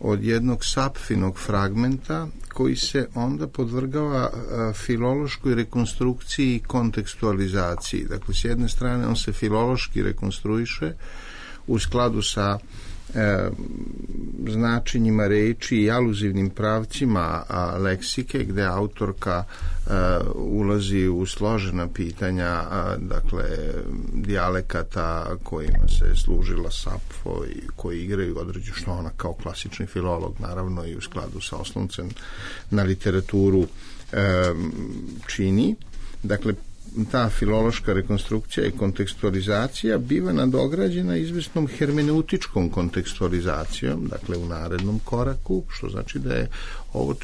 od jednog sapfinog fragmenta koji se onda podvrgava filološkoj rekonstrukciji i kontekstualizaciji. Dakle, s jedne strane on se filološki rekonstruiše u skladu sa značenjima reči i aluzivnim pravcima leksike, gde autorka ulazi u složena pitanja, dakle dijalekata kojima se služila Sapfo i koji igraju određu, što ona kao klasični filolog naravno i u skladu sa osnovcem na literaturu čini. Dakle, ta filološka rekonstrukcija i kontekstualizacija biva nadograđena izvesnom hermeneutičkom kontekstualizacijom, dakle u narednom koraku, što znači da je ovo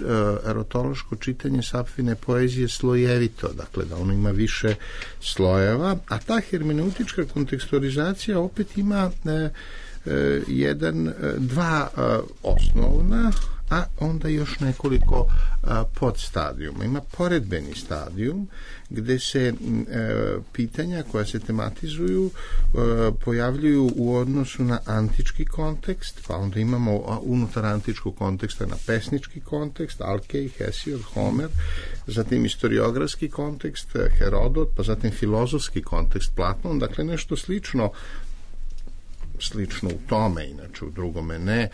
erotološko čitanje sapfine poezije slojevito, dakle da ono ima više slojeva, a ta hermeneutička kontekstualizacija opet ima dva osnovna, a onda još nekoliko podstadijuma. Ima poredbeni stadijum gde se pitanja koja se tematizuju pojavljuju u odnosu na antički kontekst, pa onda imamo unutar antičkog konteksta na pesnički kontekst, Alkej, Hesiod, Homer, zatim istoriografski kontekst, Herodot, pa zatim filozofski kontekst, Platon, dakle nešto slično u tome, inače u drugome ne,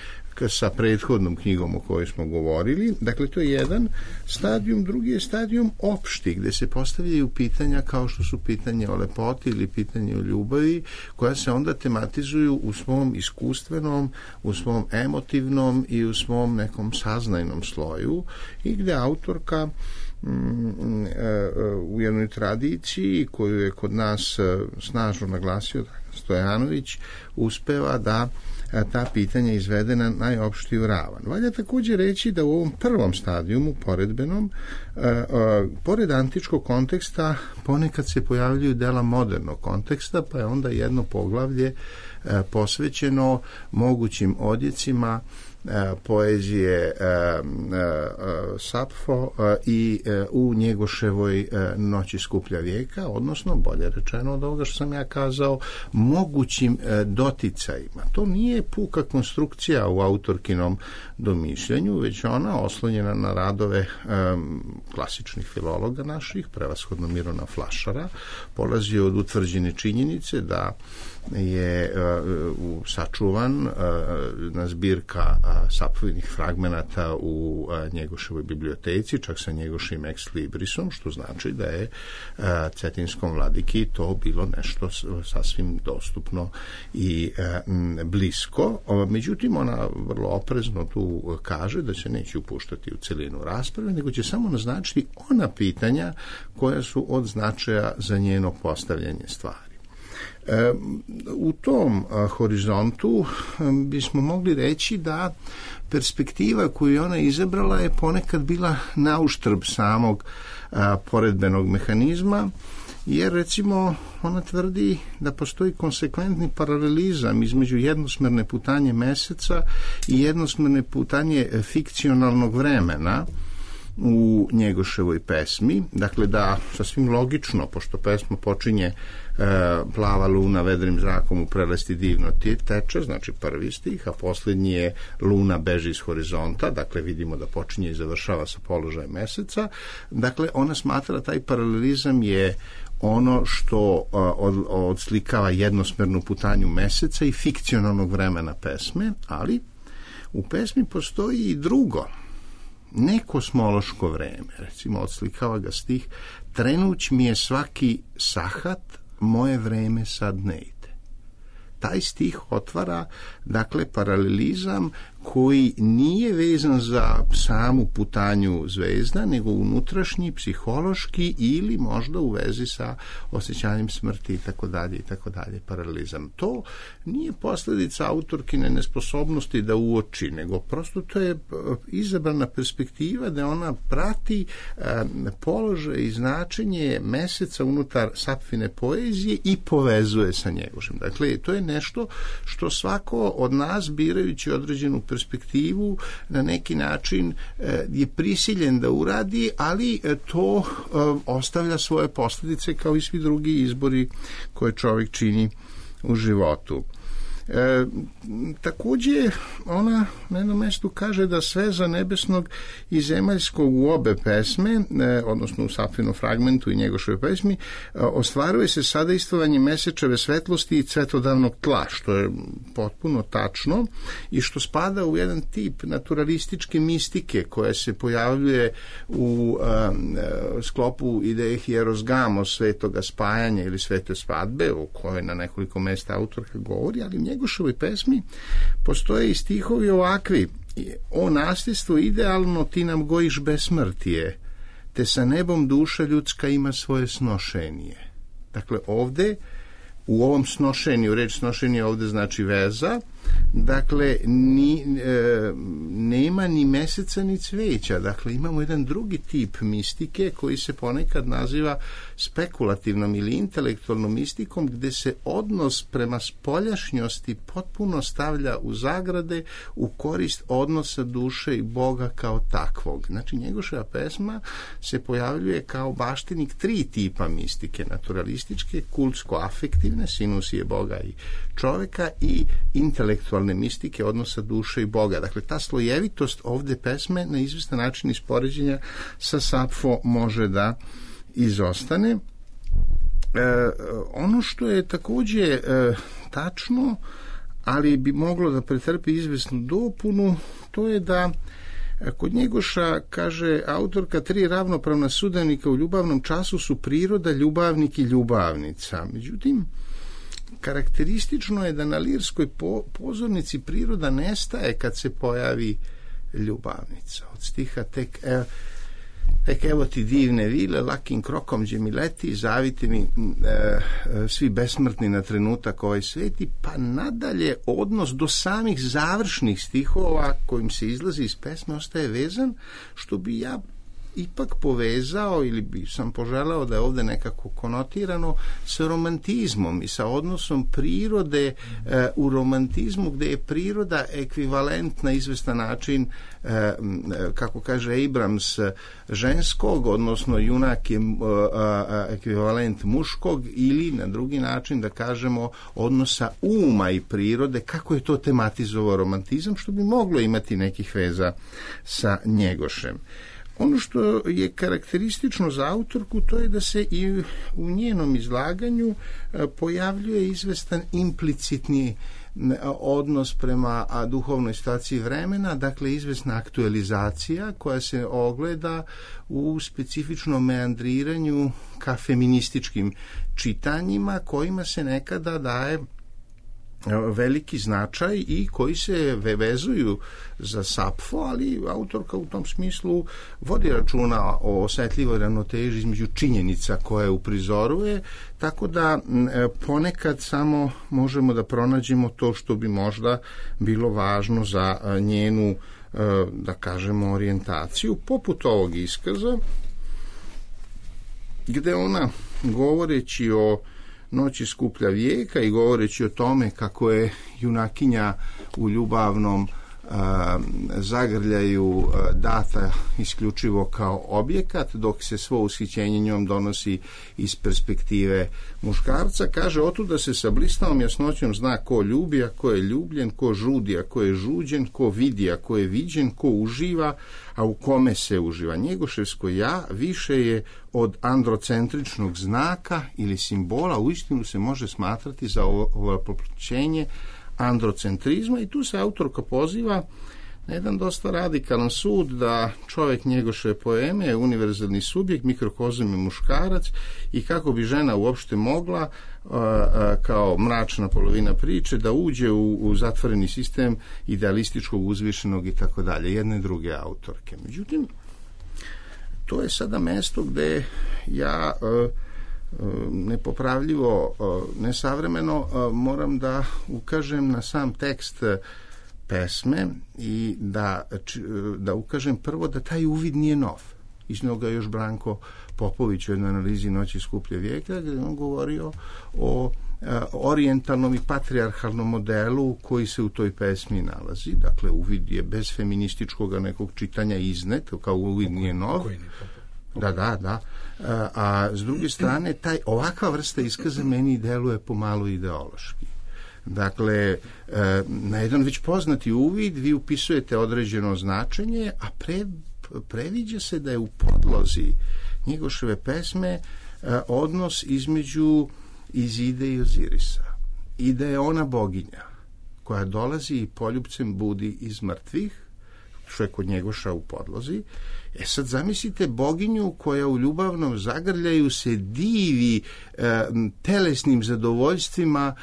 sa prethodnom knjigom o kojoj smo govorili. Dakle, to je jedan stadijum. Drugi je stadijum opšti, gde se postavljaju pitanja kao što su pitanje o lepoti ili pitanje o ljubavi, koja se onda tematizuju u svom iskustvenom, u svom emotivnom i u svom nekom saznajnom sloju, i gde autorka u jednoj tradiciji koju je kod nas snažno naglasio Stojanović, uspeva da ta pitanja izvede na najopštiju ravan. Valja također reći da u ovom prvom stadijumu, poredbenom, pored antičkog konteksta ponekad se pojavljuju dela modernog konteksta, pa je onda jedno poglavlje posvećeno mogućim odjecima poezije Sapfo i u Njegoševoj Noći skuplja vijeka, odnosno, bolje rečeno od ovoga što sam ja kazao, mogućim doticajima. To nije puka konstrukcija u autorkinom domišljanju, već ona oslonjena na radove klasičnih filologa naših, prevashodno Mirona Flašara, polazi od utvrđene činjenice da je sačuvan na zbirka Sapfovinih fragmenata u Njegoševoj biblioteci, čak sa njegošim ex librisom, što znači da je cetinskom vladiki to bilo nešto sasvim dostupno i blisko. Međutim, ona vrlo oprezno tu kaže da se neće upuštati u celinu rasprave, nego će samo naznačiti ona pitanja koja su od značaja za njeno postavljanje stvari. U tom horizontu bismo mogli reći da perspektiva koju je ona izabrala je ponekad bila nauštrb samog poredbenog mehanizma, jer recimo ona tvrdi da postoji konsekventni paralelizam između jednosmerne putanje meseca i jednosmerne putanje fikcionalnog vremena u Njegoševoj pesmi. Dakle, da sasvim logično, pošto pesma počinje plava luna vedrim zrakom u prelesti divno teče, znači prvi stih, a posljednji je luna beži iz horizonta, dakle vidimo da počinje i završava sa položajem meseca. Dakle, ona smatra taj paralelizam je ono što odslikava jednosmernu putanju meseca i fikcionalnog vremena pesme, ali u pesmi postoji i drugo, nekosmološko vreme. Recimo, odslikava ga stih: trenuć mi je svaki sahat, moje vreme sad ne ide. Taj stih otvara, dakle, paralelizam koji nije vezan za samu putanju zvezda, nego unutrašnji, psihološki ili možda u vezi sa osjećanjem smrti itd. Paralelizam. To nije posljedica autorkine nesposobnosti da uoči, nego prosto to je izabrana perspektiva da ona prati položaj i značenje meseca unutar Sapfine poezije i povezuje sa Njegošem. Dakle, to je nešto što svako od nas, birajući određenu perspektivu, na neki način je prisiljen da uradi, ali to ostavlja svoje posljedice kao i svi drugi izbori koje čovjek čini u životu. Također ona na jednom mjestu kaže da sveza nebesnog i zemaljskog u obe pesme, odnosno u Sapfinom fragmentu i Njegoševoj pesmi, ostvaruje se sadejstvovanje mesečeve svetlosti i cvetodavnog tla, što je potpuno tačno i što spada u jedan tip naturalističke mistike koja se pojavljuje u sklopu ideje hieros gamos, svetoga spajanja ili svete svadbe, o kojoj na nekoliko mjesta autorka govori, ali u Njegoševoj pesmi postoje i stihovi ovakvi: o nasljedstvo idealno ti nam gojiš besmrtije, te sa nebom duša ljudska ima svoje snošenje. Dakle, ovde u ovom snošenju, reč snošenje ovde znači veza, dakle nema ni meseca ni cveća, dakle imamo jedan drugi tip mistike koji se ponekad naziva spekulativnom ili intelektualnom mistikom, gde se odnos prema spoljašnjosti potpuno stavlja u zagrade u korist odnosa duše i Boga kao takvog. Znači, Njegoševa pesma se pojavljuje kao baštinik tri tipa mistike: naturalističke, kultsko-afektivne, sinusije Boga i čoveka, i intelektualne mistike odnosa duše i Boga. Dakle, ta slojevitost ovde pesme na izvestan način iz poređenja sa Sapfo može da izostane. Ono što je također tačno, ali bi moglo da pretrpi izvesnu dopunu, to je da kod Njegoša, kaže autorka, 3 ravnopravna sudionika u ljubavnom času su priroda, ljubavnik i ljubavnica. Međutim, karakteristično je da na lirskoj pozornici priroda nestaje kad se pojavi ljubavnica. Od stiha tek evo ti divne vile, lakim krokom gdje mi leti, zavite mi svi besmrtni na trenutak ovaj sveti, pa nadalje odnos do samih završnih stihova kojim se izlazi iz pesme ostaje vezan, što bi ja ipak povezao ili bi sam poželao da je ovdje nekako konotirano sa romantizmom i sa odnosom prirode u romantizmu, gdje je priroda ekvivalent na izvestan način, kako kaže Abrams, ženskog, odnosno junak je ekvivalent muškog, ili na drugi način da kažemo odnosa uma i prirode, kako je to tematizovao romantizam, što bi moglo imati nekih veza sa Njegošem. Ono što je karakteristično za autorku, to je da se i u njenom izlaganju pojavljuje izvestan implicitni odnos prema duhovnoj situaciji vremena, dakle izvesna aktualizacija koja se ogleda u specifičnom meandriranju ka feminističkim čitanjima kojima se nekada daje veliki značaj i koji se vezuju za Sapfo, ali autorka u tom smislu vodi računa o osetljivoj ravnoteži između činjenica koje uprizoruje, tako da ponekad samo možemo da pronađemo to što bi možda bilo važno za njenu, da kažemo, orijentaciju, poput ovog iskaza, gde ona, govoreći o noći skuplja vijeka i govoreći o tome kako je junakinja u ljubavnom zagrljaju data isključivo kao objekat, dok se svo ushićenje njom donosi iz perspektive muškarca, kaže: otuda se sa blistavom jasnoćom zna ko ljubi, a ko je ljubljen, ko žudi, a ko je žuđen, ko vidi, a ko je viđen, ko uživa, a u kome se uživa. Njegoševsko ja više je od androcentričnog znaka ili simbola, uistinu se može smatrati za ovoploćenje androcentrizma, i tu se autorka poziva na jedan dosta radikalan sud da čovjek Njegoševe poeme je univerzalni subjekt, mikrokozam je muškarac, i kako bi žena uopšte mogla kao mračna polovina priče da uđe u zatvoreni sistem idealističkog, uzvišenog i tako dalje, jedne druge autorke. Međutim, to je sada mesto gde ja nepopravljivo, nesavremeno moram da ukažem na sam tekst pesme i da ukažem prvo da taj uvid nije nov. Iznio ga još Branko Popović u jednoj analizi Noći skuplje vijeka, gdje on govorio o orijentalnom i patrijarhalnom modelu koji se u toj pesmi nalazi. Dakle, uvid je bez feminističkog nekog čitanja iznet, kao uvid nije nov. Da. A s druge strane, ovakva vrsta iskaza meni deluje pomalo ideološki. Dakle, na jedan već poznati uvid vi upisujete određeno značenje, a previđa se da je u podlozi Njegoševe pesme odnos između Izide i Ozirisa, i da je ona boginja koja dolazi i poljupcem budi iz mrtvih, što je kod Njegoša u podlozi. Sad zamislite boginju koja u ljubavnom zagrljaju se divi telesnim zadovoljstvima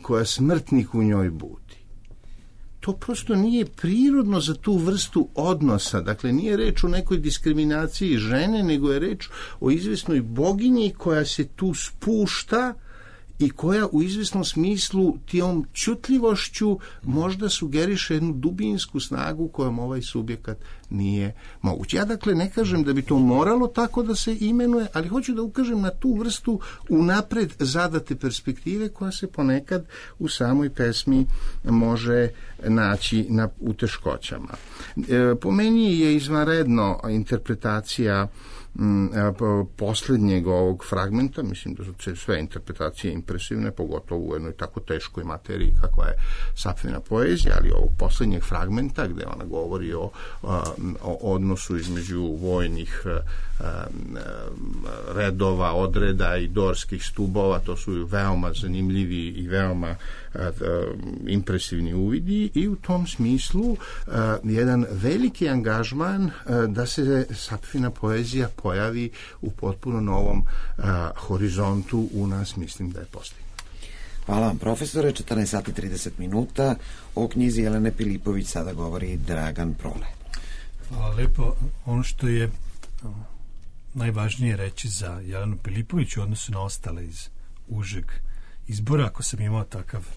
koja smrtnik u njoj budi. To prosto nije prirodno za tu vrstu odnosa. Dakle, nije reč o nekoj diskriminaciji žene, nego je reč o izvesnoj boginji koja se tu spušta i koja u izvesnom smislu tijom čutljivošću možda sugeriše jednu dubinsku snagu kojom ovaj subjekat nije moguć. Ja dakle ne kažem da bi to moralo tako da se imenuje, ali hoću da ukažem na tu vrstu unapred zadate perspektive koja se ponekad u samoj pesmi može naći u teškoćama. Po meni je izvanredno interpretacija posljednjeg ovog fragmenta, mislim da su sve interpretacije impresivne, pogotovo u jednoj tako teškoj materiji kakva je Sapfina poezija, ali ovog posljednjeg fragmenta gdje ona govori o odnosu između vojnih redova, odreda i dorskih stubova, to su veoma zanimljivi i veoma impresivni uvidi i u tom smislu jedan veliki angažman da se Sapfina poezija pojavi u potpuno novom horizontu u nas, mislim da je postignuto. Hvala vam, profesore. 14 sati 30 minuta. O knjizi Jelene Pilipović sada govori Dragan Prole. Hvala lepo. Ono što je najvažnije reći za Jelenu Pilipović u odnosu na ostale iz užeg izbora, ako sam imao takav,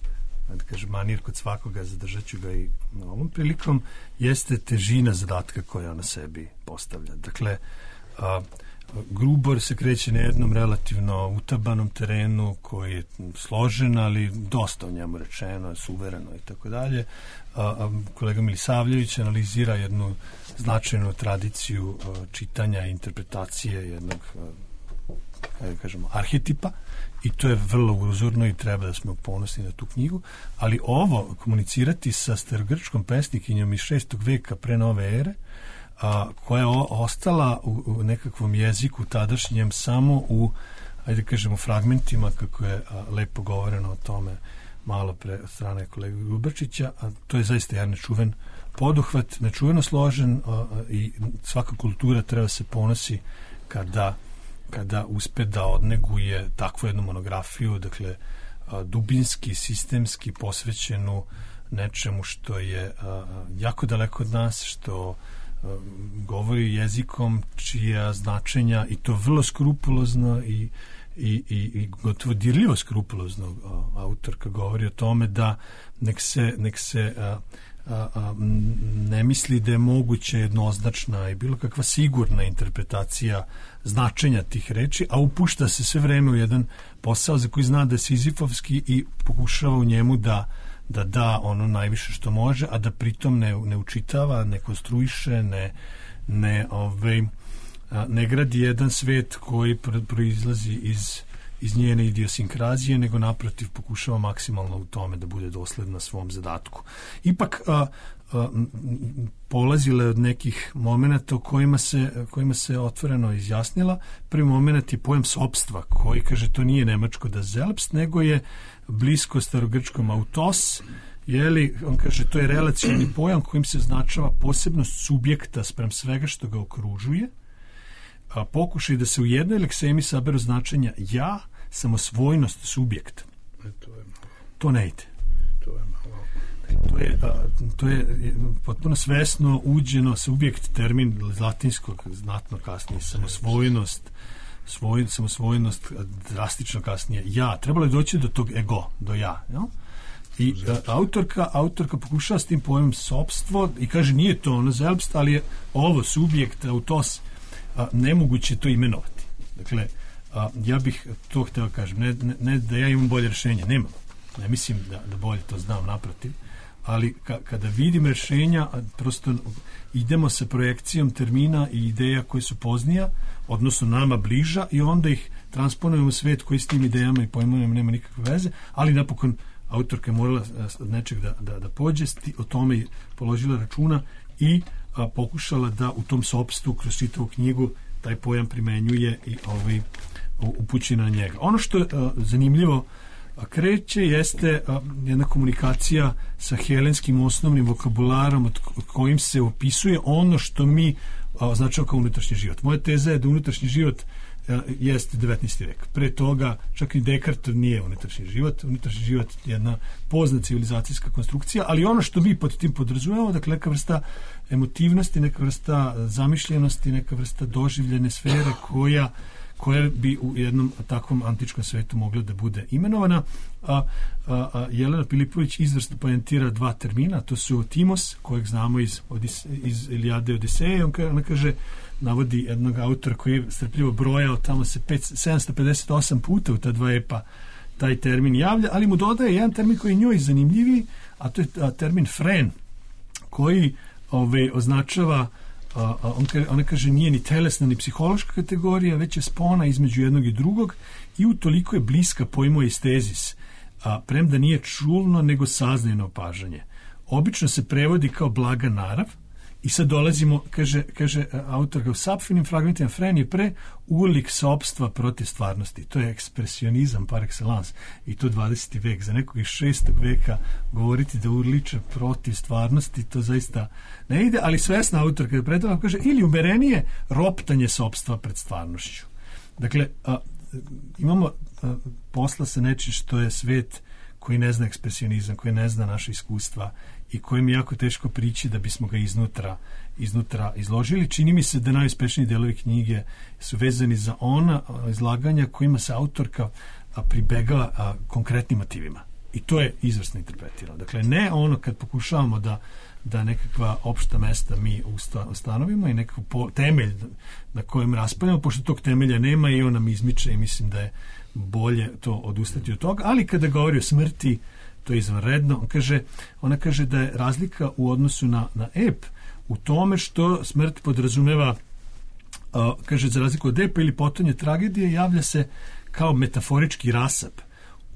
da kažem, manir kod svakoga, zadržat ću ga i na ovom prilikom, jeste težina zadatka koja ona sebi postavlja. Dakle, Grubor se kreće na jednom relativno utabanom terenu koji je složen, ali dosta o njemu rečeno, suvereno i tako dalje. Kolega Milisavljević analizira jednu značajnu tradiciju čitanja i interpretacije jednog, kažemo, arhetipa i to je vrlo uzorno i treba da smo ponosni na tu knjigu, ali ovo komunicirati sa starogrčkom pesnikinjom iz 6. veka pre nove ere, koja je ostala u nekakvom jeziku tadašnjem samo u, ajde kažemo, fragmentima, kako je lepo govoreno o tome malo pre strane kolege Grubačića, a to je zaista jedan nečuven poduhvat, nečuveno složen i svaka kultura treba se ponosi kada uspe da odneguje takvu jednu monografiju, dakle dubinski, sistemski posvećenu nečemu što je jako daleko od nas, što govori jezikom čija značenja, i to vrlo skrupulozno i gotovo dirljivo skrupulozno autorka govori o tome da nek se ne misli da je moguće jednoznačna i bilo kakva sigurna interpretacija značenja tih reči, a upušta se sve vreme u jedan posao za koji zna da je sizifovski i pokušava u njemu da ono najviše što može, a da pritom ne učitava, ne konstruiše, ne gradi jedan svet koji proizlazi iz njene idiosinkrazije, nego naprotiv pokušava maksimalno u tome da bude dosledna svom zadatku. Ipak polazila je od nekih momenata u kojima se otvoreno izjasnila. Prvi moment je pojam sopstva, koji kaže to nije nemačko da selbst, nego je blisko starogrčkom autos, on kaže to je relacioni pojam kojim se označava posebnost subjekta spram svega što ga okružuje, pokušaj da se u jednoj leksemi saberu značenja ja, samosvojnost subjekta. To ne ide. To je potpuno svesno uđeno subjekt, termin latinskog znatno kasnije, samosvojnost, drastično kasnije ja. Trebalo je doći do tog ego, do ja. Jel? I autorka pokušava s tim pojmom sopstvo i kaže nije to ono selbst, ali je ovo subjekt, autos, nemoguće to imenovati. Dakle, ja bih to hteo kažem, ne da ja imam bolje rešenje, nemam. Ne mislim da bolje to znam, naprotiv, ali kada vidim rešenja, prosto idemo sa projekcijom termina i ideja koje su poznija, odnosno nama bliža, i onda ih transponujemo u svet koji s tim idejama i pojmovima nema nikakve veze, ali napokon autorka je morala nečeg da pođe, o tome je položila računa i pokušala da u tom sopstvu kroz čitavu knjigu taj pojam primenjuje i upući na njega. Ono što je zanimljivo kreće jeste jedna komunikacija sa helenskim osnovnim vokabularom od kojim se opisuje ono što mi označava kao unutrašnji život. Moja teza je da unutrašnji život jeste 19. vek. Pre toga čak i Descartes nije unutrašnji život. Unutrašnji život je jedna pozna civilizacijska konstrukcija, ali ono što mi pod tim podrazumevamo, dakle neka vrsta emotivnosti, neka vrsta zamišljenosti, neka vrsta doživljene sfere koja bi u jednom takvom antičkom svetu mogla da bude imenovana. Jelena Pilipović izvrsno poentira dva termina, to su Timos, kojeg znamo iz Ilijade i Odiseje. Ona kaže, navodi jednog autora koji je strpljivo brojao, tamo se 758 puta u ta dva epa taj termin javlja, ali mu dodaje jedan termin koji je njoj zanimljiviji, a to je termin fren, koji označava ona kaže nije ni telesna ni psihološka kategorija, već je spona između jednog i drugog i utoliko je bliska pojmu estezis, premda nije čulno nego saznajno opažanje. Obično se prevodi kao blaga narav i sad dolazimo, kaže autorka, u sapfinim fragmentima Fren je pre ulik sopstva protiv stvarnosti. To je ekspresionizam par excellence i to 20. vek. Za nekog iz 6. veka govoriti da urliče protiv stvarnosti, to zaista ne ide, ali svesna autorka je predava, kaže, ili umerenije roptanje sopstva pred stvarnošću. Dakle, imamo posla sa nečim što je svet koji ne zna ekspresionizam, koji ne zna naše iskustva i kojim je jako teško prići da bismo ga iznutra izložili. Čini mi se da najuspešniji delovi knjige su vezani za ona izlaganja kojima se autorka pribegava konkretnim motivima. I to je izvrsno interpretirano. Dakle, ne ono kad pokušavamo da nekakva opšta mesta mi ustanovimo i nekakav temelj na kojem raspravljamo, pošto tog temelja nema i on nam izmiče i mislim da je bolje to odustati od toga, ali kada govori o smrti, to je izvanredno. Ona kaže da je razlika u odnosu na ep u tome što smrt podrazumeva, kaže, za razliku od epa ili potonje tragedije, javlja se kao metaforički rasap.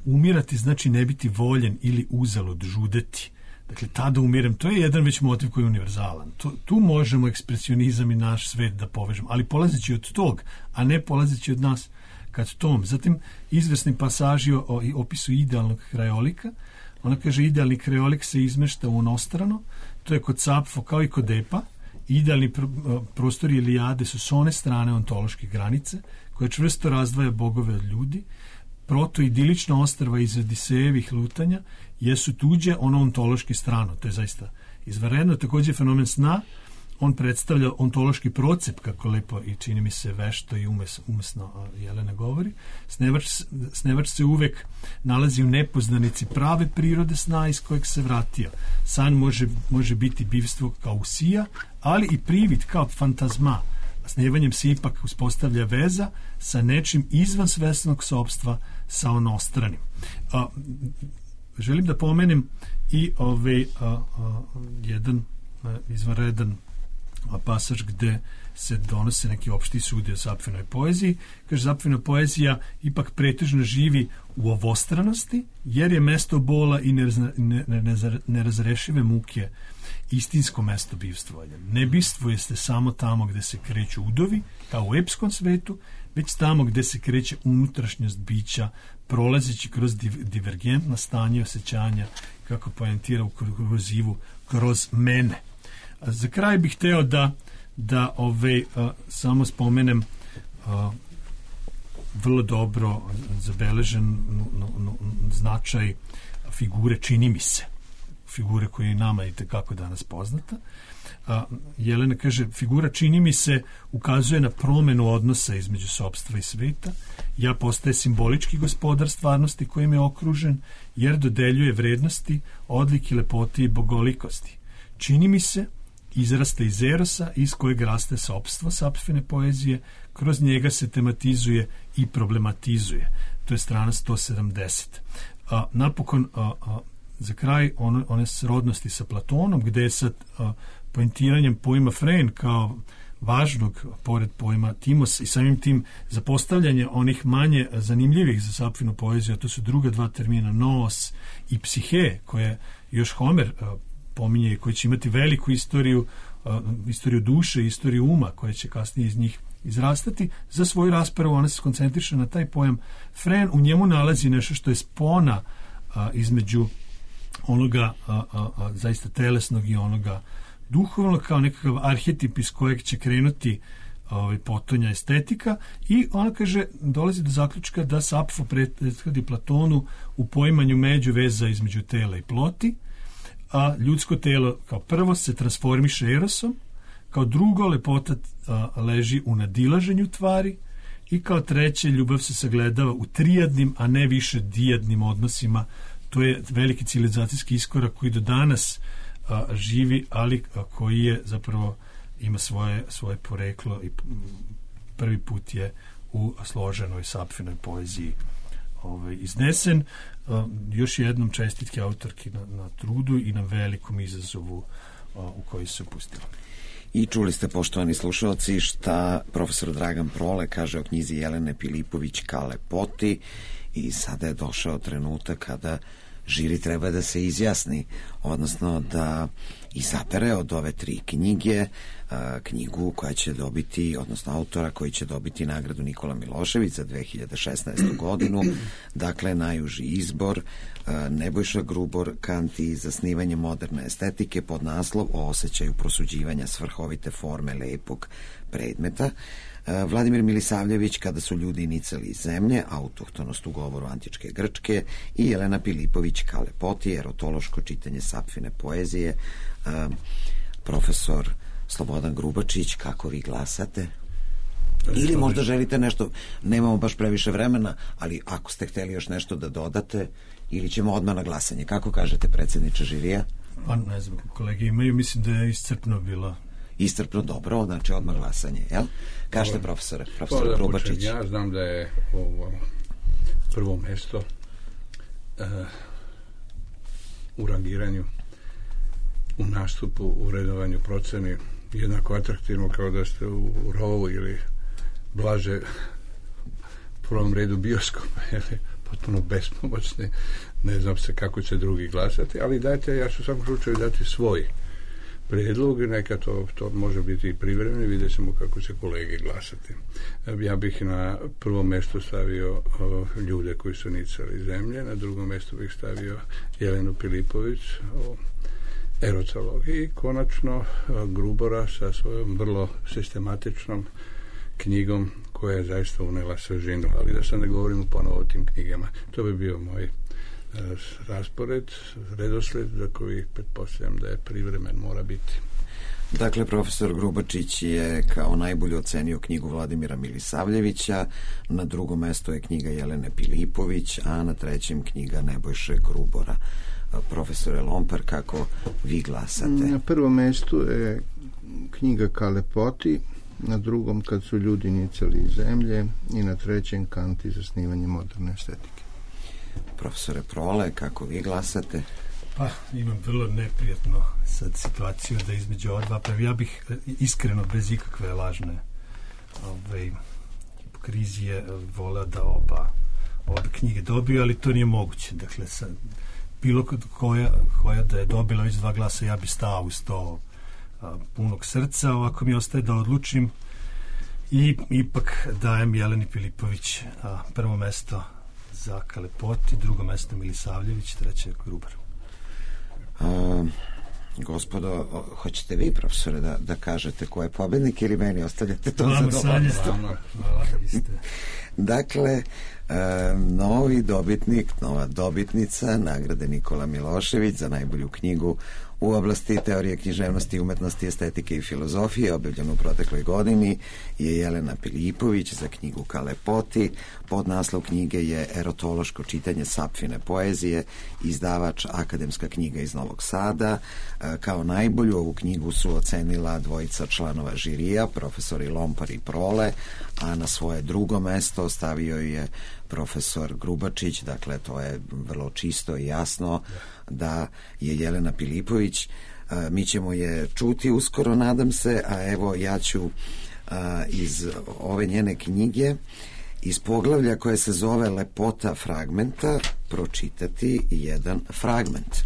Umirati znači ne biti voljen ili uzalud žudeti. Dakle, tada umirem, to je jedan već motiv koji je univerzalan. Tu možemo ekspresionizam i naš svet da povežemo, ali polazeći od tog, a ne polazeći od nas kad tom. Zatim, izvesni pasaži o opisu idealnog krajolika. Ona kaže, idealni krajolik se izmešta u onostrano, to je kod Sapfo kao i kod Epa. Idealni prostori Ilijade su s one strane ontološke granice, koja čvrsto razdvaja bogove od ljudi. Proto-idilična ostrva iz Odisejevih lutanja jesu tuđe ono ontološki strano. To je zaista izvanredno. Također fenomen sna, on predstavlja ontološki procep, kako lepo i čini mi se vešto i umesno Jelena govori. Snevač se uvek nalazi u nepoznanici prave prirode sna iz kojeg se vratio. San može biti bivstvo kao usija, ali i privid kao fantazma. Snevanjem se ipak uspostavlja veza sa nečim izvan svesnog sopstva, sa onostranim. Želim da pomenem i jedan izvanredan pasaž gde se donose neki opšti sudi o Sapfinoj poeziji. Kaže, Sapfina poezija ipak pretežno živi u ovostranosti, jer je mesto bola i nerazrešive muke istinsko mesto bivstvovanja. Ne bivstvuje se samo tamo gde se kreću udovi, kao u epskom svetu, već tamo gde se kreće unutrašnjost bića, prolazeći kroz divergentna stanja osjećanja, kako poentira u kurzivu, kroz mene. Za kraj bih hteo da samo spomenem vrlo dobro zabeležen značaj figure, čini mi se, figure koja je nama i tekako danas poznata. Jelena kaže, figura čini mi se ukazuje na promenu odnosa između sopstva i sveta. Ja postaje simbolički gospodar stvarnosti kojim je okružen, jer dodeljuje vrednosti, odlike, lepoti i bogolikosti. Čini mi se izrasta iz erosa iz kojeg raste sopstvo Sapfine poezije, kroz njega se tematizuje i problematizuje. To je strana 170. Napokon, za kraj, one srodnosti sa Platonom, gde je sad poentiranjem pojma Fren kao važnog, pored pojma Timos i samim tim zapostavljanje onih manje zanimljivih za Sapfinu poeziju, a to su druga dva termina, noos i psihe, koje još Homer pominje i koji će imati veliku istoriju duše, istoriju uma, koja će kasnije iz njih izrastati. Za svoju raspravu ona se koncentriše na taj pojam Fren. U njemu nalazi nešto što je spona između onoga zaista telesnog i onoga duhovnog, kao nekakav arhetip iz kojeg će krenuti potonja estetika, i ona kaže, dolazi do zaključka da Sapfo prethodi Platonu u poimanju međuveza između tela i ploti, a ljudsko telo kao prvo se transformiše erosom, kao drugo lepota leži u nadilaženju tvari i kao treće ljubav se sagledava u trijadnim, a ne više dijadnim odnosima. To je veliki civilizacijski iskorak koji do danas živi, ali koji je zapravo ima svoje poreklo i prvi put je u složenoj Sapfinoj poeziji iznesen. Još jednom čestitke autorki na trudu i na velikom izazovu u koji se upustila. I čuli ste, poštovani slušalci, šta profesor Dragan Prole kaže o knjizi Jelene Pilipović Kale Poti, i sada je došao trenutak kada žiri treba da se izjasni, odnosno da izabere od ove 3 knjige knjigu koja će dobiti, odnosno autora koji će dobiti nagradu Nikola Milošević za 2016. godinu. Dakle, najuži izbor Nebojša Grubor, Kant i zasnivanje moderne estetike, pod naslov o osjećaju prosuđivanja svrhovite forme lepog predmeta. Vladimir Milisavljević, Kada su ljudi nicali iz zemlje, autohtonost u govoru antičke Grčke, i Jelena Pilipović Kale Poti, erotološko čitanje Sapfine poezije. Profesor Slobodan Grubačić, kako vi glasate? Ili možda želite nešto, nemamo baš previše vremena, ali ako ste hteli još nešto da dodate, ili ćemo odmah na glasanje. Kako kažete, predsjedniče žirija? Pa ne znam, kolege imaju, mislim da je iscrpno bilo. Iscrpno, dobro, znači odmah glasanje, jel? Kažete, profesor Grubačić. Ja znam da je ovo prvo mesto u rangiranju, u nastupu, u redovanju proceni jednako atraktivno kao da ste u rovu ili blaže u prvom redu bioskopa, potpuno bespomoćni, ne znam se kako će drugi glasati, ali dajte, ja ću u svakom slučaju dati svoj prijedlog, neka to može biti i privremeno, vidjet ćemo kako će kolege glasati. Ja bih na prvo mjesto stavio ljude koji su nicali iz zemlje, na drugo mjesto bih stavio Jelenu Pilipović o erotologiji i konačno Grubora sa svojom vrlo sistematičnom knjigom koja je zaista unela svežinu, ali da sad ne govorimo ponovo o tim knjigama. To bi bio moj raspored, redosled za koji pretpostavljam da je privremen, mora biti. Dakle, profesor Grubačić je kao najbolje ocenio knjigu Vladimira Milisavljevića, na drugom mjestu je knjiga Jelene Pilipović, a na trećem knjiga Nebojše Grubora. Profesore Lompar, kako vi glasate? Na prvom mjestu je knjiga Kale Poti, na drugom Kad su ljudi nicali iz zemlje i na trećem Kant i zasnivanje moderne estetike. Profesore Prole, kako vi glasate? Pa, imam vrlo neprijatno sad situaciju da između ova dva, pa ja bih iskreno, bez ikakve lažne hipokrizije voleo da oba knjige dobiju, ali to nije moguće. Dakle, sad, bilo koja da je dobila već 2 glasa, ja bi stao uz to punog srca. Ovako mi ostaje da odlučim i ipak dajem Jeleni Pilipović prvo mesto za Kale Poti, drugo mesto Milisavljević, treće Grubar. Gospodo, hoćete vi, profesore, da kažete ko je pobednik ili meni ostavljate to zadovoljstvo? Dakle, novi dobitnik, nova dobitnica nagrade Nikola Milošević za najbolju knjigu u oblasti teorije književnosti, umetnosti, estetike i filozofije, objavljenu u protekloj godini, je Jelena Pilipović za knjigu Kale Poti. Podnaslov knjige je Erotološko čitanje Sapfine poezije, izdavač Akademska knjiga iz Novog Sada. Kao najbolju ovu knjigu su ocenila dvojica članova žirija, profesori Lompar i Prole, a na svoje drugo mesto stavio je profesor Grubačić. Dakle, to je vrlo čisto i jasno da je Jelena Pilipović. Mi ćemo je čuti uskoro, nadam se, a evo ja ću iz ove njene knjige, iz poglavlja koje se zove Lepota fragmenta, pročitati jedan fragment.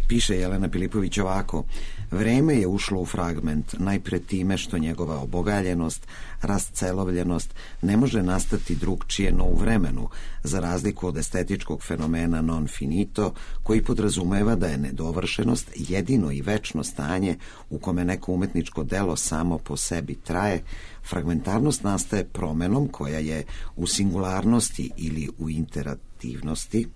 Piše Jelena Pilipović ovako: vreme je ušlo u fragment najpre time što njegova obogaljenost, rascelovljenost ne može nastati drugčije no u vremenu, za razliku od estetičkog fenomena non finito, koji podrazumeva da je nedovršenost jedino i večno stanje u kome neko umetničko delo samo po sebi traje. Fragmentarnost nastaje promenom koja je u singularnosti ili u iterativnosti,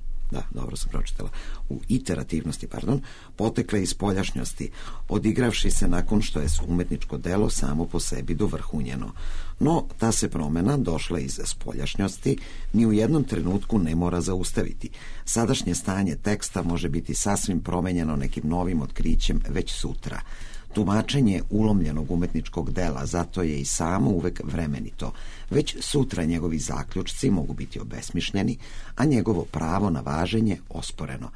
potekle iz spoljašnjosti, odigravši se nakon što je umetničko delo samo po sebi dovrhunjeno. No, ta se promena, došla iz spoljašnjosti, ni u jednom trenutku ne mora zaustaviti. Sadašnje stanje teksta može biti sasvim promenjeno nekim novim otkrićem već sutra. Tumačenje ulomljenog umetničkog dela zato je i samo uvek vremenito. Već sutra njegovi zaključci mogu biti obesmišljeni, a njegovo pravo na važenje osporeno.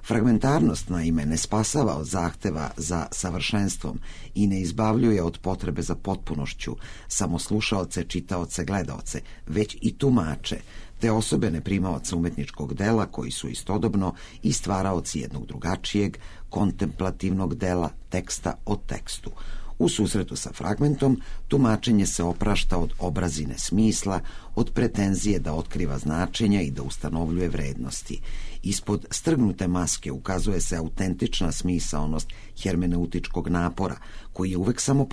Fragmentarnost, naime, ne spasava od zahteva za savršenstvom i ne izbavljuje od potrebe za potpunošću samo slušaoce, čitaoce, gledaoce, već i tumače, te osobene primaoce umetničkog dela koji su istodobno i stvaraoci jednog drugačijeg, kontemplativnog dela, teksta o tekstu. U susretu sa fragmentom, tumačenje se oprašta od obrazine smisla, od pretenzije da otkriva značenja i da ustanovljuje vrednosti. Ispod strgnute maske ukazuje se autentična smisaonost hermeneutičkog napora, koji je uvek samo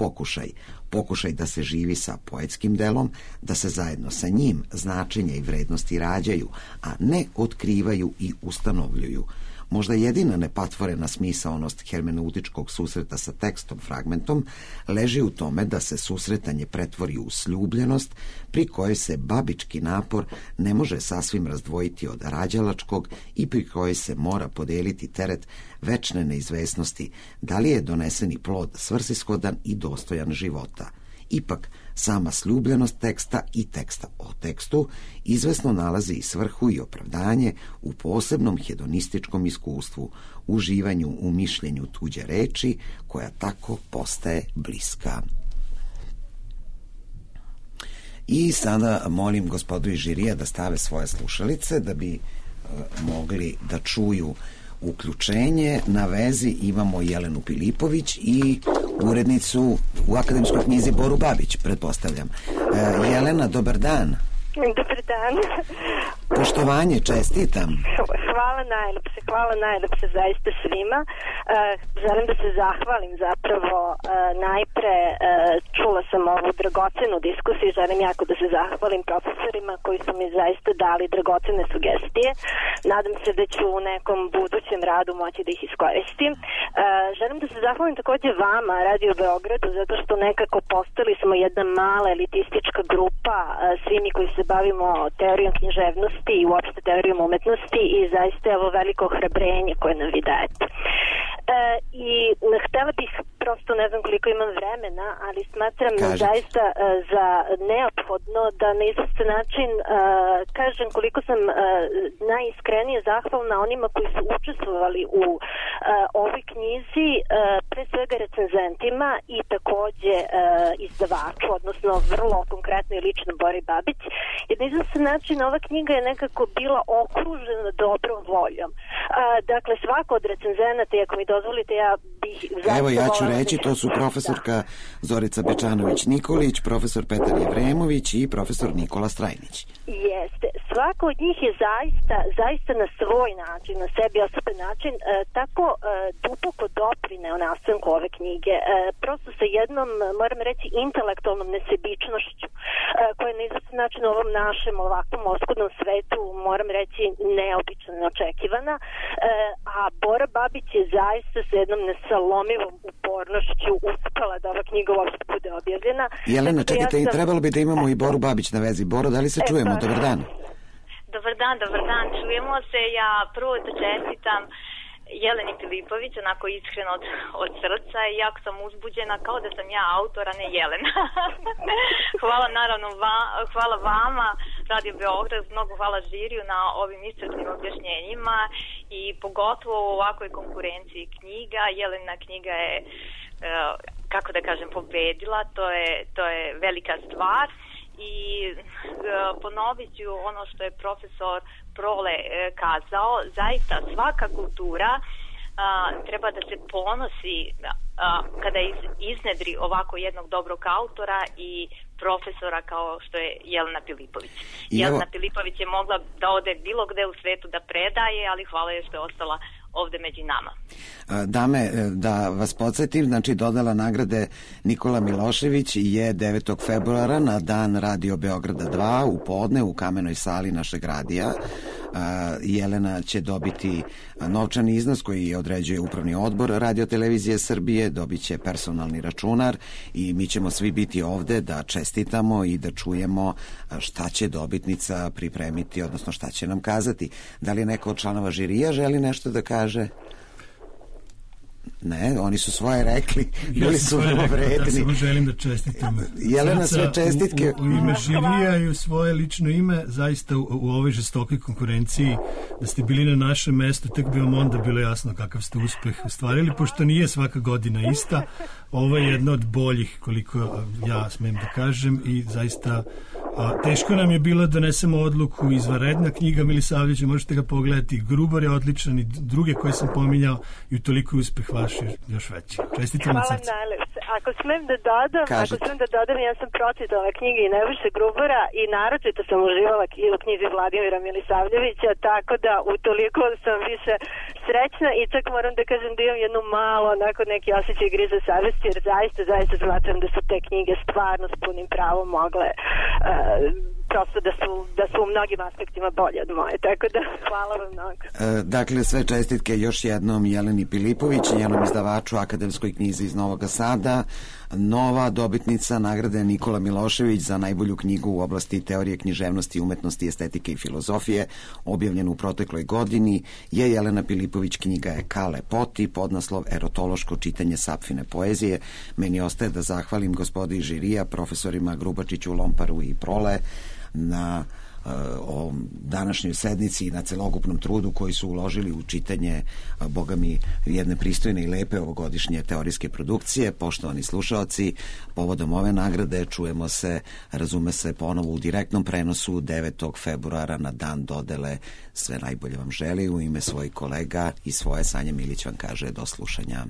pokušaj da se živi sa poetskim delom, da se zajedno sa njim značenja i vrednosti rađaju, a ne otkrivaju i ustanovljuju. Možda jedina nepatvorena smisaonost hermeneutičkog susreta sa tekstom fragmentom leži u tome da se susretanje pretvori u sljubljenost pri kojoj se babički napor ne može sasvim razdvojiti od rađalačkog i pri kojoj se mora podeliti teret večne neizvesnosti da li je doneseni plod svrsishodan i dostojan života. Ipak, sama sljubljenost teksta i teksta o tekstu izvesno nalazi i svrhu i opravdanje u posebnom hedonističkom iskustvu, uživanju u mišljenju tuđe reči, koja tako postaje bliska. I sada molim gospodu iz žirija da stave svoje slušalice da bi mogli da čuju uključenje. Na vezi imamo Jelenu Pilipović i urednicu u akademskoj knjizi Boru Babić, pretpostavljam. Jelena, dobar dan. Dobar dan. Poštovanje, čestitam. Hvala najlepše zaista svima. Želim da se zahvalim zapravo najpre, čula sam ovu dragocenu diskusiju, želim jako da se zahvalim profesorima koji su mi zaista dali dragocene sugestije. Nadam se da ću u nekom budućem radu moći da ih iskoristim. Želim da se zahvalim takođe vama, Radio Beogradu, zato što nekako postali smo jedna mala elitistička grupa, svi mi koji se bavimo teorijom književnosti i uopšte teorijom umetnosti, i zaista je ovo veliko ohrabrenje koje nam vi dajete. I htela bih, prosto ne znam koliko imam vremena, ali smatram zaista za neophodno da na izvestan način kažem koliko sam najiskrenije zahvalna onima koji su učestvovali u ovoj knjizi, pre svega recenzentima i takođe izdavaču, odnosno vrlo konkretno i lično Bori Babić, jer na izvestan način ova knjiga je nekako bila okružena dobrom voljom. Dakle, svako od recenzenata, ako mi dozvolite, ja bih... Evo, ja ću reći, to su profesorka Zorica Bečanović-Nikolić, profesor Petar Jevremović i profesor Nikola Strajnić. Jeste. Svako od njih je zaista na svoj način, na sebi osoben način, tako duboko doprineo nastanku ove knjige. Prosto sa jednom, moram reći, intelektualnom nesebičnošću, koja je na izvestan način u ovom našem ovakvom oskudnom svetu, moram reći, neobično neočekivana. A Bora Babić je zaista sa jednom nesalomivom upornošću uspela da ova knjiga uopšte bude objavljena. Jelena, čekajte, trebalo bi da imamo i Boru Babić na vezi. Boro, da li se čujemo? Dobar dan. Dobar dan, čujemo se. Ja prvo da čestitam Jeleni Pilipović, onako iskreno od srca, i jako sam uzbuđena kao da sam ja autor, a ne Jelena. Hvala naravno hvala vama, Radio Beograd, mnogo hvala žiriju na ovim iscrpnim objašnjenjima i pogotovo u ovakvoj konkurenciji knjiga. Jelena knjiga je, kako da kažem, pobedila, to je velika stvar. I ponovit ću ono što je profesor Prole kazao, zaista svaka kultura treba da se ponosi kada iznedri ovako jednog dobrog autora i profesora kao što je Jelena Pilipović. Jelena Pilipović je mogla da ode bilo gde u svetu da predaje, ali hvala je što je ostala ovde među nama. Dame, da vas podsjetim, znači dodala nagrade Nikola Milošević je 9. februara na dan Radio Beograda 2 u podne u kamenoj sali našeg radija. Jelena će dobiti novčani iznos koji određuje upravni odbor Radio-televizije Srbije, dobit će personalni računar i mi ćemo svi biti ovde da čestitamo i da čujemo šta će dobitnica pripremiti, odnosno šta će nam kazati. Da li neko od članova žirija želi nešto da kaže? Ne, oni su svoje rekli, bili su vrlo vredni. Ja samo želim da čestitam. Jelena, sve čestitke. U ime žirija i u svoje lično ime, zaista u ovoj žestokoj konkurenciji, da ste bili na našem mestu, tek bi vam onda bilo jasno kakav ste uspeh ostvarili, pošto nije svaka godina ista. Ovo je jedna od boljih, koliko ja smem da kažem, i zaista teško nam je bilo da donesemo odluku. Izvanredna knjiga Milisavljevića, možete ga pogledati, Grubor je odličan i druge koje sam pominjao, i utoliko uspeh vaš je još veći. Čestitam od srca. Hvala najlepše. Ako smem da dodam, ja sam pročitala knjige i Nebojše Grubora i naročito sam uživala u knjizi Vladimira Milisavljevića, tako da utoliko sam više srećna i čak moram da kažem da imam jednu malo onako neki osjećaj grize savesti, jer zaista smatram da su te knjige stvarno s punim pravom mogle prosto da su u mnogim aspektima bolje od moje, tako da hvala vam mnogo. Dakle, sve čestitke još jednom Jeleni Pilipović, njenom izdavaču, Akademskoj knjizi iz Novog Sada, nova dobitnica nagrade Nikola Milošević za najbolju knjigu u oblasti teorije književnosti, umetnosti, estetike i filozofije, objavljenu u protekloj godini, je Jelena Pilipović. Knjiga je Kale Poti, podnaslov Erotološko čitanje Sapfine poezije. Meni ostaje da zahvalim gospodi žirija, profesorima Grubačiću, Lomparu i Prole na o današnjoj sednici i na celokupnom trudu koji su uložili u čitanje, boga mi, jedne pristojne i lepe ovogodišnje teorijske produkcije. Poštovani slušaoci, povodom ove nagrade čujemo se, razume se, ponovo u direktnom prenosu 9. februara na dan dodele. Sve najbolje vam želi u ime svojih kolega i svoje. Sanja Milić vam kaže do slušanja.